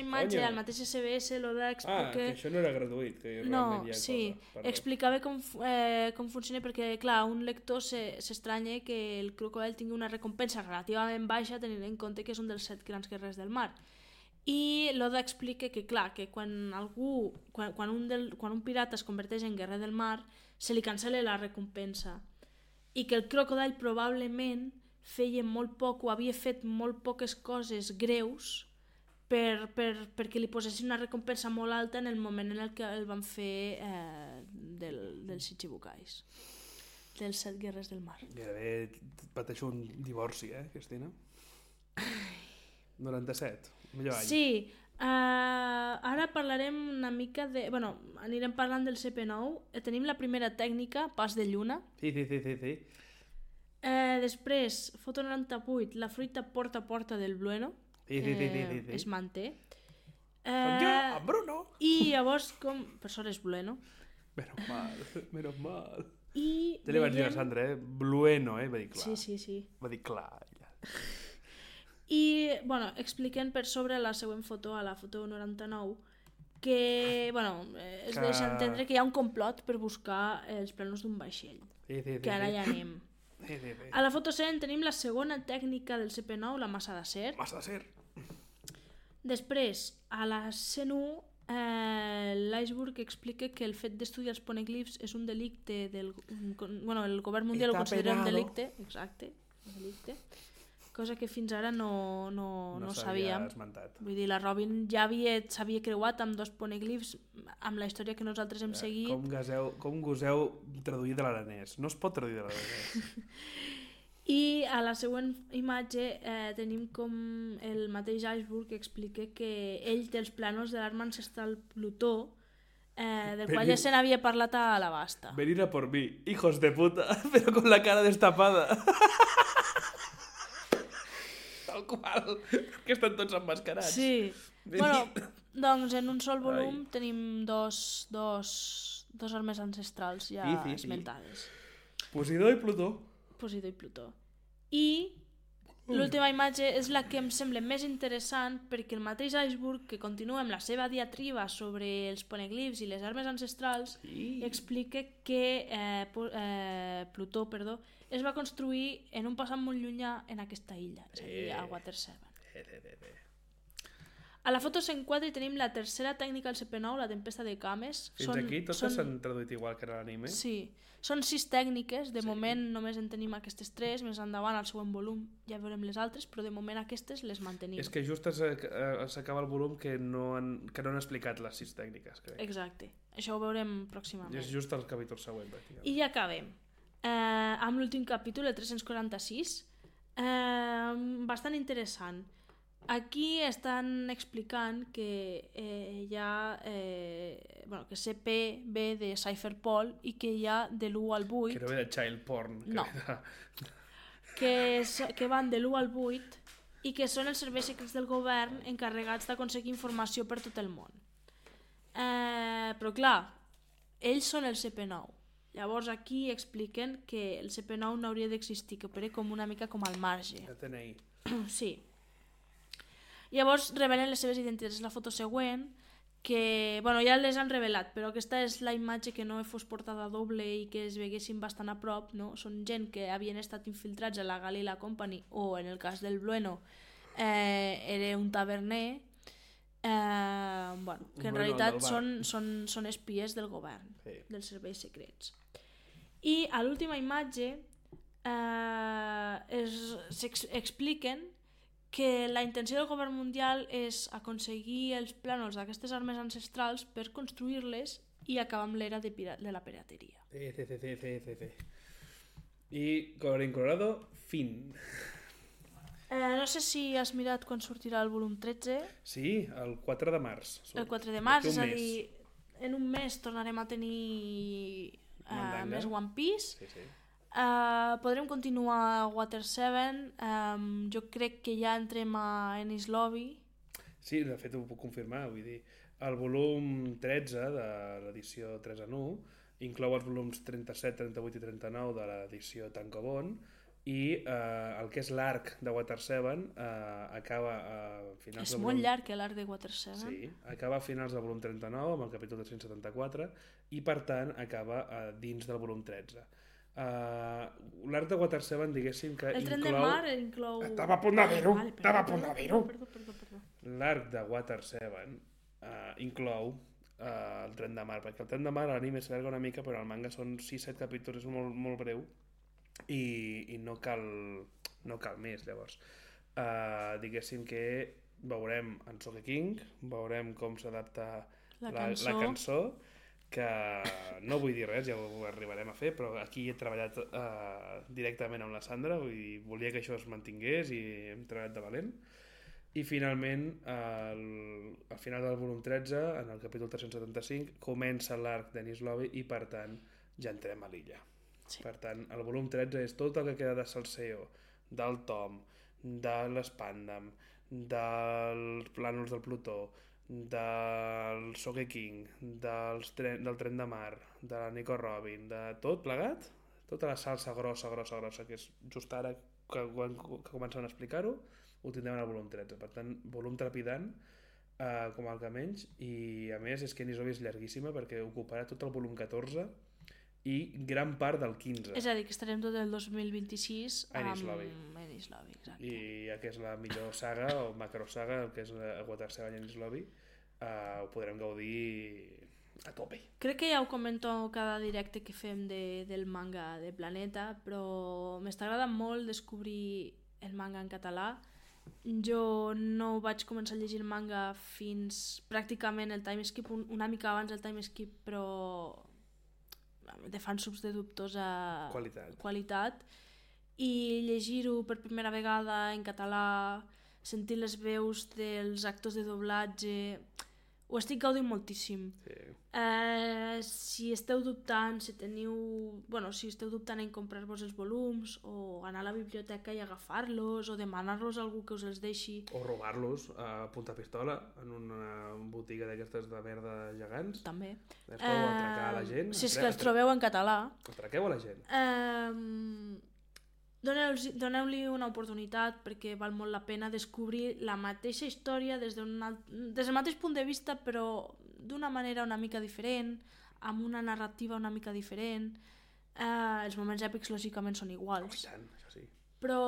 imatge, al mateix SBS, l'Oda explica...
que això no era gratuït. Que
no, sí, explicava com funciona perquè, clar, un lector s'estranya que el Crocodile tingui una recompensa relativament baixa tenint en compte que és un dels 7 grans guerrers del mar. I l'Oda explica que, clar, que quan un pirata es converteix en guerrer del mar, se li cancel·la la recompensa. I que el Crocodile probablement feia molt poc o havia fet molt poques coses greus perquè li posessin una recompensa molt alta en el moment en el que el van fer dels Shichibukais, dels 7 guerrers del mar.
Gairebé pateixo un divorci, Cristina? 97, millor any.
Sí, ara parlarem una mica de... anirem parlant del CP9. Tenim la primera tècnica, pas de lluna.
Sí.
Després, foto 98, la fruita porta a porta del Blueno. Es manté.
Bruno!
I llavors, per sort és Blueno.
Menos mal.
I
ja li vaig dir a Sandra, Blueno, va dir clar.
Sí.
Va dir clar, ja.
I, expliquen per sobre la següent foto, a la foto 99, que, es deixa entendre que hi ha un complot per buscar els planos d'un vaixell. Que ara ja anem. A la foto 100 tenim la segona tècnica del CP9, la massa d'acer. Després, a la 101, l'iceberg explica que el fet d'estudiar els poneglyphs és un delicte el govern mundial ho considera un delicte, exacte, un delicte, cosa que fins ara no sabíem. Vull dir, la Robin ja s'havia creuat amb 2 poneglyphs amb la història que nosaltres hem seguit.
Com goseu traduir de l'aranès? No es pot traduir de l'aranès.
I a la següent imatge tenim com el mateix iceberg que explica que ell té els planos de l'arma ancestral Plutó, del qual ja se n'havia parlat a la Basta.
Venid a por mí, hijos de puta, pero con la cara destapada. tal qual, que estan tots emmascarats.
Sí. Bueno, doncs en un sol volum tenim dos armes ancestrals ja esmentades.
Posidó i Plutó.
Posidó i Plutó. I l'última imatge és la que em sembla més interessant perquè el mateix Iceberg, que continua amb la seva diatriba sobre els poneglifs i les armes ancestrals, explica que Plutó es va construir en un passat molt llunyà en aquesta illa, és a dir, a Water 7. A la foto 104 tenim la tercera tècnica al CP9, la tempesta de cames.
Fins aquí totes s'han traduït igual que en l'anime?
Sí. Són 6 tècniques, de moment només en tenim aquestes 3, més endavant al següent volum ja veurem les altres, però de moment aquestes les mantenim.
És que just s'acaba el volum que no han explicat les 6 tècniques, crec.
Exacte, això ho veurem pròximament.
És just el capítol següent.
I ja acabem. Amb l'últim capítol, el 346, bastant interessant. Aquí estan explicant que que CP ve de Cypherpol i que hi ha de l'1 al 8...
Que no ve de child porn.
No. Que van de l'1 al 8 i que són els serveis secrets del govern encarregats d'aconseguir informació per tot el món. Però clar, ells són el CP9. Llavors aquí expliquen que el CP9 no hauria d'existir, que opera com una mica com al marge.
El TNI.
Sí. Llavors revelen les seves identitats. La foto següent, que ja les han revelat, però aquesta és la imatge que no fos portada doble i que es veguessin bastant a prop, no? Són gent que havien estat infiltrats a la Galila Company, o en el cas del Blueno era un taverner, que en realitat són espies del govern, dels serveis secrets. I a l'última imatge expliquen que la intenció del govern mundial és aconseguir els plànols d'aquestes armes ancestrals per construir-les i acabar amb l'era de la pirateria.
I colorín colorado, fin.
No sé si has mirat quan sortirà el volum 13.
Sí, el 4 de març.
El 4 de març, és a dir, en un mes tornarem a tenir més One Piece.
Sí.
Podrem continuar a Water 7. Jo crec que ja entrem a Enies Lobby.
Sí, de fet ho puc confirmar, vull dir, el volum 13 de l'edició 3 en 1 inclou els volums 37, 38 i 39 de l'edició Tankobon i el que és l'arc de Water 7 acaba a finals
és molt llarg l'arc de Water 7.
Sí, acaba a finals del volum 39 amb el capítol 374 i per tant acaba dins del volum 13. L'arc de Water 7, diguéssim que
el tren de mar inclou...
Estava a punt de dir-ho,
Perdó.
L'arc de Water 7 inclou el tren de mar, perquè el tren de mar a l'anime s'allarga una mica, però al manga són 6-7 capítols, és molt, molt breu i no cal més, llavors. Diguéssim que veurem en Sogeking, veurem com s'adapta la cançó, que no vull dir res, ja ho arribarem a fer, però aquí he treballat directament amb la Sandra, vull dir, volia que això es mantingués i hem treballat de valent. I finalment, al final del volum 13, en el capítol 375, comença l'arc d'Enies Lobby i, per tant, ja entrem a l'illa. Sí. Per tant, el volum 13 és tot el que queda de Salseo, del Tom, de l'Spandam, dels plànols del Plutó, del Sogeking, del tren de mar, de la Nico Robin, de tot plegat, tota la salsa grossa, que és just ara que comencen a explicar-ho, ho tindrem en el volum 13. Per tant, volum trepidant, com el que menys, i a més és que Enies Lobby és llarguíssima perquè ocuparà tot el volum 14 i gran part del 15.
És a dir, que estarem tot el 2026
Enies Lobby.
Exacte.
I ja que és la millor saga o macrosaga, el que és Water 7 i Enies Lobby, ho podrem gaudir a tope.
Crec que ja ho comento cada directe que fem del manga de Planeta, però m'està agradant molt descobrir el manga en català. Jo no vaig començar a llegir el manga fins pràcticament el timeskip, una mica abans del timeskip, però de fansubs de dubtosa qualitat. I llegir-ho per primera vegada en català, sentir les veus dels actors de doblatge, ho estic gaudint moltíssim.
Sí.
Si esteu dubtant, si esteu dubtant en comprar-vos els volums o anar a la biblioteca i agafar-los o demanar-los a algú que us els deixi.
O robar-los a punta pistola en una botiga d'aquestes de merda gegants.
També.
Es podeu atracar a la gent.
Si és que els trobeu en català.
Atraqueu a la gent.
Doneu-li una oportunitat perquè val molt la pena descobrir la mateixa història des del mateix punt de vista, però d'una manera una mica diferent, amb una narrativa una mica diferent. Els moments èpics lògicament són iguals.
Tant, això sí.
Però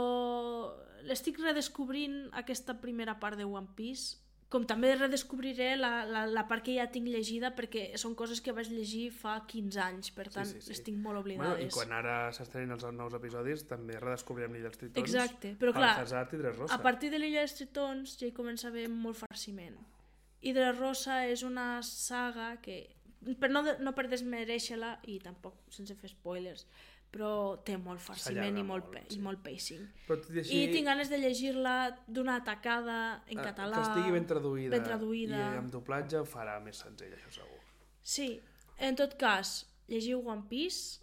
l'estic redescobrint aquesta primera part de One Piece, com també redescobriré la part que ja tinc llegida, perquè són coses que vaig llegir fa 15 anys, per tant les tinc molt oblidades.
I quan ara s'estrenen els nous episodis també redescobrirem l'Illa dels Tritons.
Exacte, però clar,
Alcazar i Dressrosa.
a partir de l'Illa dels Tritons ja hi comença a haver molt farciment. I Dressrosa és una saga que, no per desmereixer-la, i tampoc sense fer spoilers, però té molt farciment i molt pacing. I tinc ganes de llegir-la d'una tacada en català.
Que estigui ben traduïda. I amb doblatge ho farà més senzill, això segur.
Sí, en tot cas, llegiu One Piece,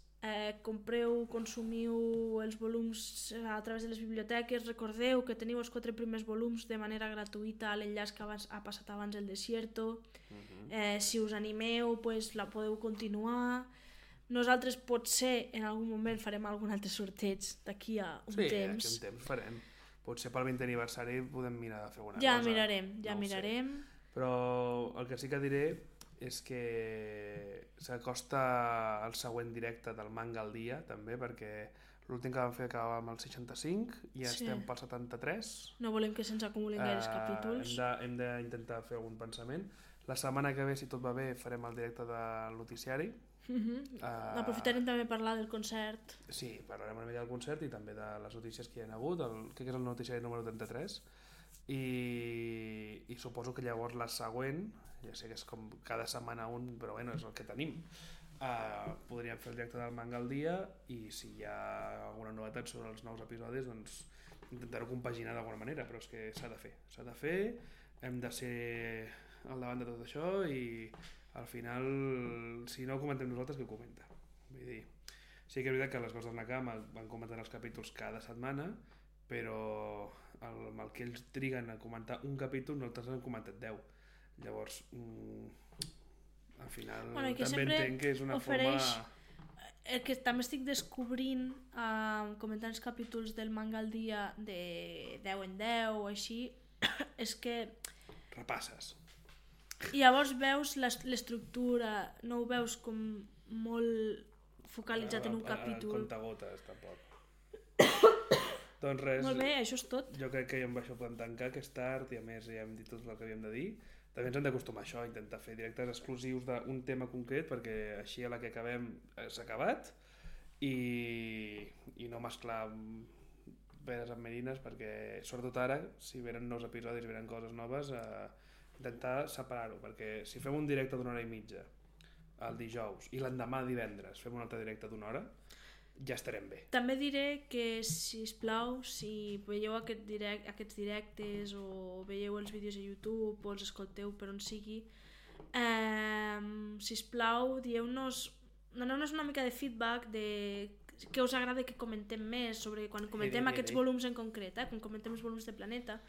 consumiu els volums a través de les biblioteques, recordeu que teniu els 4 primers volums de manera gratuïta a l'enllaç que ha passat abans el Desierto. Si us animeu, pues, la podeu continuar. Nosaltres potser en algun moment farem algun altre sorteig d'aquí a un temps.
Sí, d'aquí a un temps farem. Potser pel 20è aniversari podem mirar de fer alguna cosa.
Ja mirarem.
Però el que sí que diré és que s'acosta el següent directe del Manga al dia, també, perquè l'últim que vam fer acabava amb el 65 i estem pel 73.
No volem que se'ns acumulin gaires capítols.
Hem d'intentar fer algun pensament. La setmana que ve, si tot va bé, farem el directe del noticiari.
Aprofitarem també a parlar del concert.
Sí, parlarem una mica del concert i també de les notícies que hi ha hagut, crec que és el noticiari número 33, i suposo que llavors la següent, ja sé que és com cada setmana un, però bueno, és el que tenim, podríem fer el directe del Manga al dia, i si hi ha alguna novetat sobre els nous episodis, doncs intentar-ho compaginar d'alguna manera, però és que s'ha de fer, hem de ser al davant de tot això, i al final, si no ho comentem nosaltres, qui ho comenta? Vull dir, sí que és veritat que les coses del Nakama van comentant els capítols cada setmana, però amb el que ells triguen a comentar un capítol, nosaltres han comentat 10. Llavors, al final, també entenc que és una forma...
El que també estic descobrint comentant els capítols del Manga al dia de 10 en 10 o així, és que...
Repasses.
I llavors veus l'estructura, no ho veus com molt focalitzat en un capítol.
El contagotes, tampoc. Doncs res.
Molt bé, això és tot.
Jo crec que amb això podem tancar, que és tard, i a més ja hem dit tot el que havíem de dir. També ens hem d'acostumar a això, intentar fer directes exclusius d'un tema concret, perquè així a la que acabem s'ha acabat, i no mesclar peres amb merines, perquè sobretot ara, si venen nous episodis, venen coses noves, intentar separar-ho, perquè si fem un directe d'una hora i mitja el dijous i l'endemà divendres fem un altre directe d'una hora, ja estarem bé.
També diré que, sisplau, si veieu aquests directes o veieu els vídeos a YouTube o els escolteu per on sigui, sisplau, doneu-nos una mica de feedback de què us agrada que comentem més sobre quan comentem aquests volums en concret, quan comentem els volums de Planeta.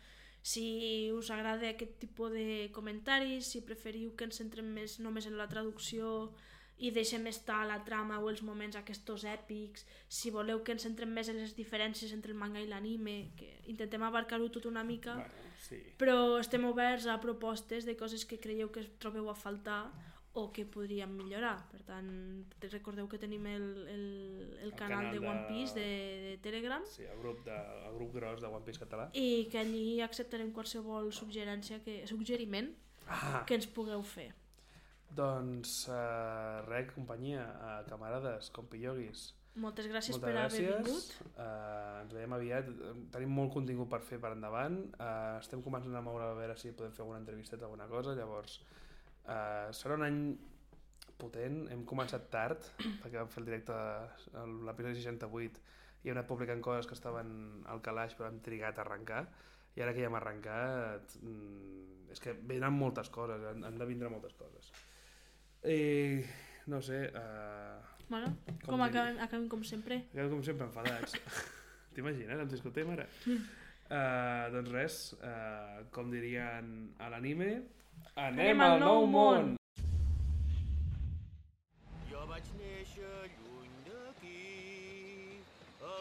Si us agrada aquest tipus de comentaris, si preferiu que ens centrem més només en la traducció i deixem estar la trama o els moments aquests èpics, si voleu que ens centrem més en les diferències entre el manga i l'anime, que intentem abarcar-ho tot una mica, però estem oberts a propostes de coses que creieu que trobeu a faltar o que podríem millorar. Per tant, recordeu que tenim el canal de One Piece de Telegram,
el grup gros de One Piece català,
i que allí acceptarem qualsevol suggeriment que ens pugueu fer.
Doncs companyia, camarades, compilloguis,
moltes gràcies per haver vingut.
Ens veiem aviat, tenim molt contingut per fer per endavant, estem començant a moure a veure si podem fer alguna entrevista o alguna cosa, llavors serà un any potent. Hem començat tard perquè vam fer el directe a l'episodi 68 i hem anat publicant coses que estaven al calaix però hem trigat a arrencar, i ara que ja hem arrencat és que venen moltes coses, han de vindre moltes coses. No sé...
Bueno, com acabem com sempre.
Acabem com sempre enfadats. T'imagines? Ens discutim ara? Doncs res, com dirien a l'anime, anem al nou món!
Jo vaig néixer lluny d'aquí, a